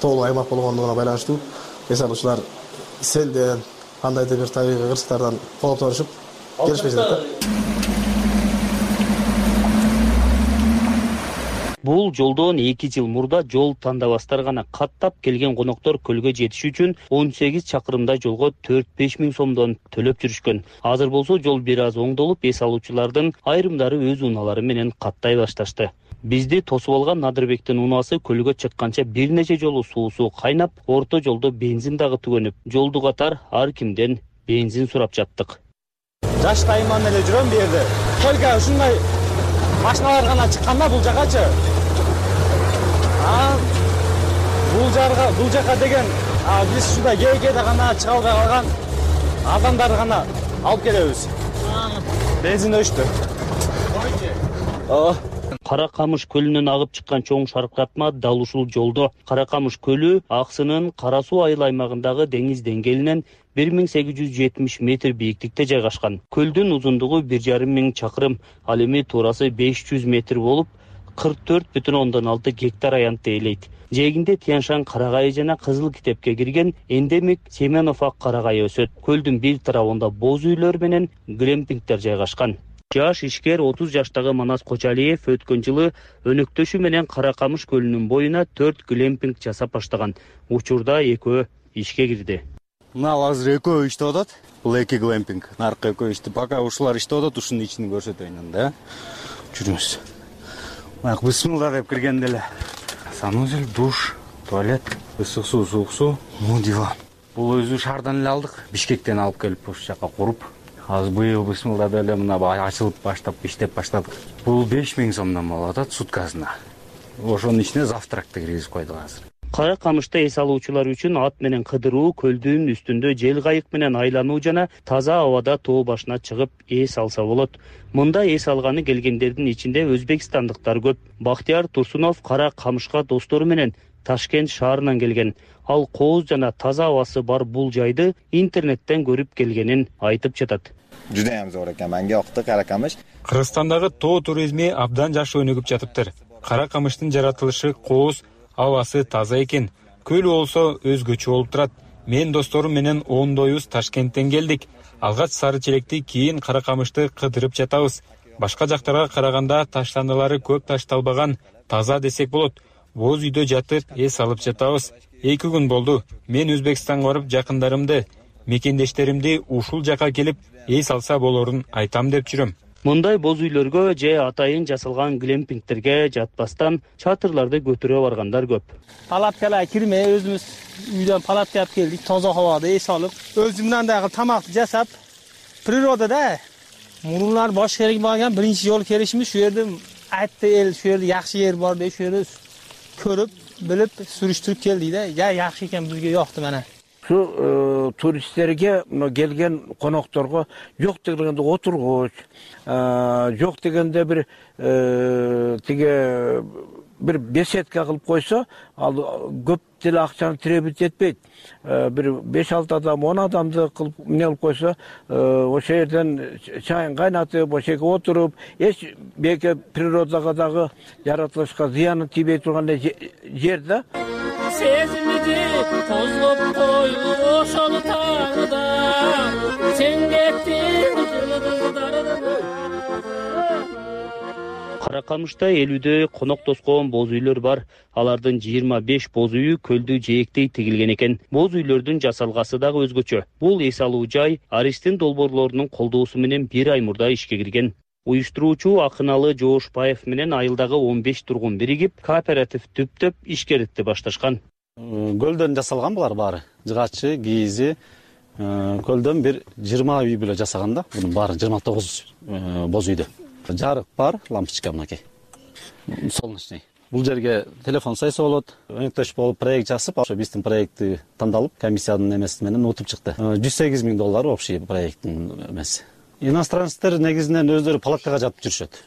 S8: тоолуу аймак болгондугуна байланыштуу эс алуучулар селден, кандайдыр бир табигый кырсыктардан кооптонушуп келишпей жатат.
S9: Бул жолдон 2 жыл мурда жол тандабастар гана каттап келген коноктор көлгө жетиш үчүн 18 чакырымдай жолго 4-5 миң сомдон төлөп жүрүшкөн. Азыр болсо жол бир аз оңдолуп, эс алуучулардын айрымдары өз унаалары менен каттай башташты. Бизди тосуп алган Надырбектин унаасы көлгө чыкканча бир нече жолу суусу кайнап, орто жолдо бензин дагы түгөнүп, жолду катар ар кимден бензин сурап жаттык.
S24: Жаштайыман эле жүрөм бу жерде. Только ушундай машиналар гана чыкканда бул жакачы. Бул жака деген биз ушундай кээ-кээде гана чыга албай калган адамдарды гана алып келебиз. Бензин өчтү.
S9: Кара Камыш көлүнөн агып чыккан чоң шаркыратма дал ушул жолдо. Кара Камыш көлү Аксынын Кара Суу айыл аймагындагы деңиз деңгээлинен 1870 метр бийиктикте жайгашкан. Көлдүн узундугу 1,5 миң чакырым, ал эми туурасы 500 метр болуп, 44,6 гектар аянтты ээлейт. Жээгинде Тяншан карагайы жана Кызыл китепке кирген эндемик Семенов ак карагайы өсөт. Көлдүн бир тарабында боз үйлөр менен глемпингдер жайгашкан. Жаш ишкер 30 жаштагы Манас Кочалиев өткөн жылы өнөктөшү менен Кара Камыш көлүнүн боюна 4 глемпинг жасап баштаган. Учурда экөө ишке кирди.
S24: Мына азыр экөө иштеп атат. Бул эки глемпинг. Наркы экөө иштеп, пока ушулар иштеп атат, ушунун ичин көрсөтөйүн анда. Жүрүңүз. Мына бисмилла деп киргенде эле санузел, душ, туалет, ысык суу, суук суу, диван. Бул өзү шаардан эле алдык. Бишкектен алып келип ушул жака куруп, азыр быйыл бисмилла деп эле мына ачылып баштап иштеп баштадык. Бул 5000 сомдон болуп атат суткасына. Ошонун ичине завтракты киргизип койдук азыр.
S9: Кара Камышта эс алуучулар үчүн ат менен кыдыруу, көлдүн үстүндө жел кайык менен айлануу жана таза абада тоо башына чыгып эс алса болот. Мында эс алганы келгендердин ичинде өзбекстандыктар көп. Бактияр Турсунов Кара Камышка достору менен Ташкент шаарынан келген. Ал кооз жана таза абасы бар бул жайды интернеттен көрүп келгенин айтып жатат.
S4: Judayam zo'r ekan, menga yoqdi Kara Qamish.
S11: Кыргызстандагы тоо туризми абдан жакшы өнүгүп жатыптыр. Кара Камыштын жаратылышы кооз, абасы таза экен. Көл болсо өзгөчө болуп турат. Мен досторум менен ондойбуз Ташкенттен келдик. Алгач Сары Челекти, кийин Кара Камышты кыдырып жатабыз. Башка жактарга караганда таштандылары көп ташталбаган, таза десек болот. Боз үйдө жатып эс алып жатабыз. 2 күн болду. Мен Өзбекстанга барып жакындарымды, мекендештеримди ушул жака келип эс алса болорун айтам деп жүрөм.
S9: Мындай боз үйлөргө же атайын жасалган глемпингтерге жатпастан чатырларды көтөрө баргандар көп.
S24: Палаткаларга кирмей өзүбүз үйдөн палатка алып келдик, таза абада эс алып, өзүмдөн дагы тамакты жасап, природада мурунлар башка жерге барган биринчи жолу келишimiz şu жерде айтты эл, şu жерде жакшы жер бар деп, şu жерде көрүп, билип, сүрүштүрүп келдик да. Я жакшы экен, бизге жокты мына.
S12: Şu turistlerge gelgen konaktorga yok degende oturguç, yok degende bir bir besetka kılıp koysa, al köp dil akçanı tirebit etmeydi. Bir 5-6 adam, 10 adamdı kılıp ne alıp koysa, o şehirden çayın kaynatıp, o şehirde oturup, hiç belki prirodakadaki yaratılışka ziyanı tibet turgan yerde.
S13: Sezmidi tozlop koyu oşolu tağda sen kettin
S9: Кара Камышта 50дө конок тоскоон боз үйлөр бар. Алардын 25 боз үйү көлдү жээктей тигилген экен. Боз үйлөрдүн жасалгасы дагы өзгөчө. Бул эс алуу жай Аристин долбоорлорунун колдоосу менен 1 ай мурда ишке кирген. Уюштуруучу Акыналы Жоошбаев менен айылдагы 15 тургун биригип, кооператив түптөп ишкеритти башташкан.
S24: Көлдөн жасалган булар баары. Жыгачы, кийизи, көлдөн бир 20 үй бүлө жасаган да. Бунун баары 29 боз үйдө. Жарык бар, лампочка мынакей. Солнечный. Бул жерге телефон сайса болот. Өнөктөш болуп проект жасап, ошо биздин проектти тандалып, комиссиянын эмеси менен утуп чыкты. $108,000 общий проекттин эмеси. Иностранецтер негизинен өздөрү палаткага жатып жүрүшөт.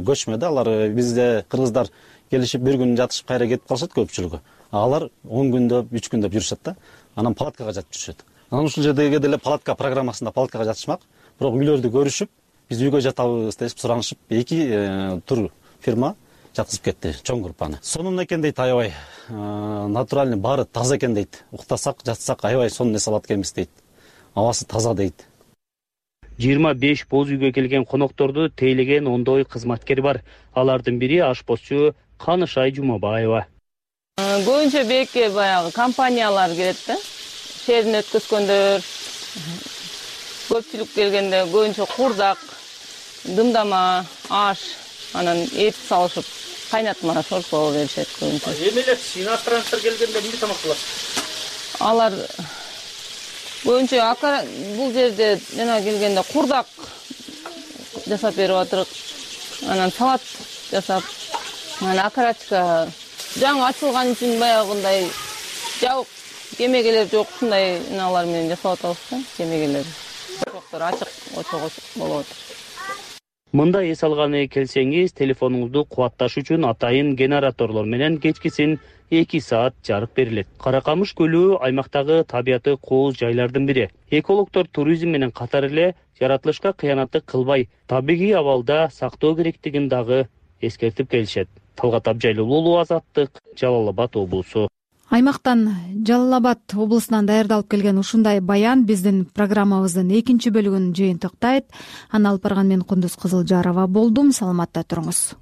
S24: Көчмөдө, алар бизде кыргыздар келишип бир күн жатышып кайра кетип калышат көпчүлүгү. Алар 10 күндөп, 3 күндөп жүрүшөт да. Анан палаткага жатып жүрүшөт. Анан ушул жердеги деле палатка программасында палаткага жатышмак. Бирок үйлөрдү көрүшүп, биз үйгө жатабыз деп суранышып, 2 тур фирма жаткызып кетти, чоң группаны. Сонун экен дейт аябай. Натуральный баары таза экен дейт. Уктасак, жатсак аябай сонун эс алат экенбиз дейт. Абасы таза дейт.
S9: 25 боз үйгө келген конокторду тейлеген ондой кызматкер бар. Алардын бири ашпозчу Канышай Жумабаева.
S25: Көбүнчө бекке баягы компаниялар келет да. Шерин өткөзгөндөр, көпчүлүк келгенде көбүнчө курдак, дымдама, аш, анан эт салышып, кайнатма шорпо беришет көбүнчө.
S24: Эмелер иностранецтер келгенде эмне тамак кылат?
S25: Алар көбүнчө бул жерде жана келгенде курдак жасап берип атырык. Анан салат жасап, анан окорочка жаңы ачылган үчүн баягындай жабык кемегелер жок, ушундай налар менен жасап атабыз да, кемегелер. Жоктор ачык очок болуп атат.
S9: мындай эс алганы келсеңиз, телефонуңузду кубатташ үчүн атайын генераторлор менен кечкисин 2 саат жарык берилет. Каракамыш көлү аймактагы табияты кооз жайлардын бири. Экологдор туризм менен катар эле жаратылышка кыянаттык кылбай, табигый абалда сактоо керектигин дагы эскертип келишет. Талгат Абжайлуулу, Азаттык, Жалал Абад облусу.
S2: Аймактан, Жалал Абад облусунан даярдалып келген ушундай баян биздин программабыздын 2 бөлүгүн жыйынтыктайт. Аны алып барган мен Кундуз Кызылжарова болдум. Саламатта туруңуз.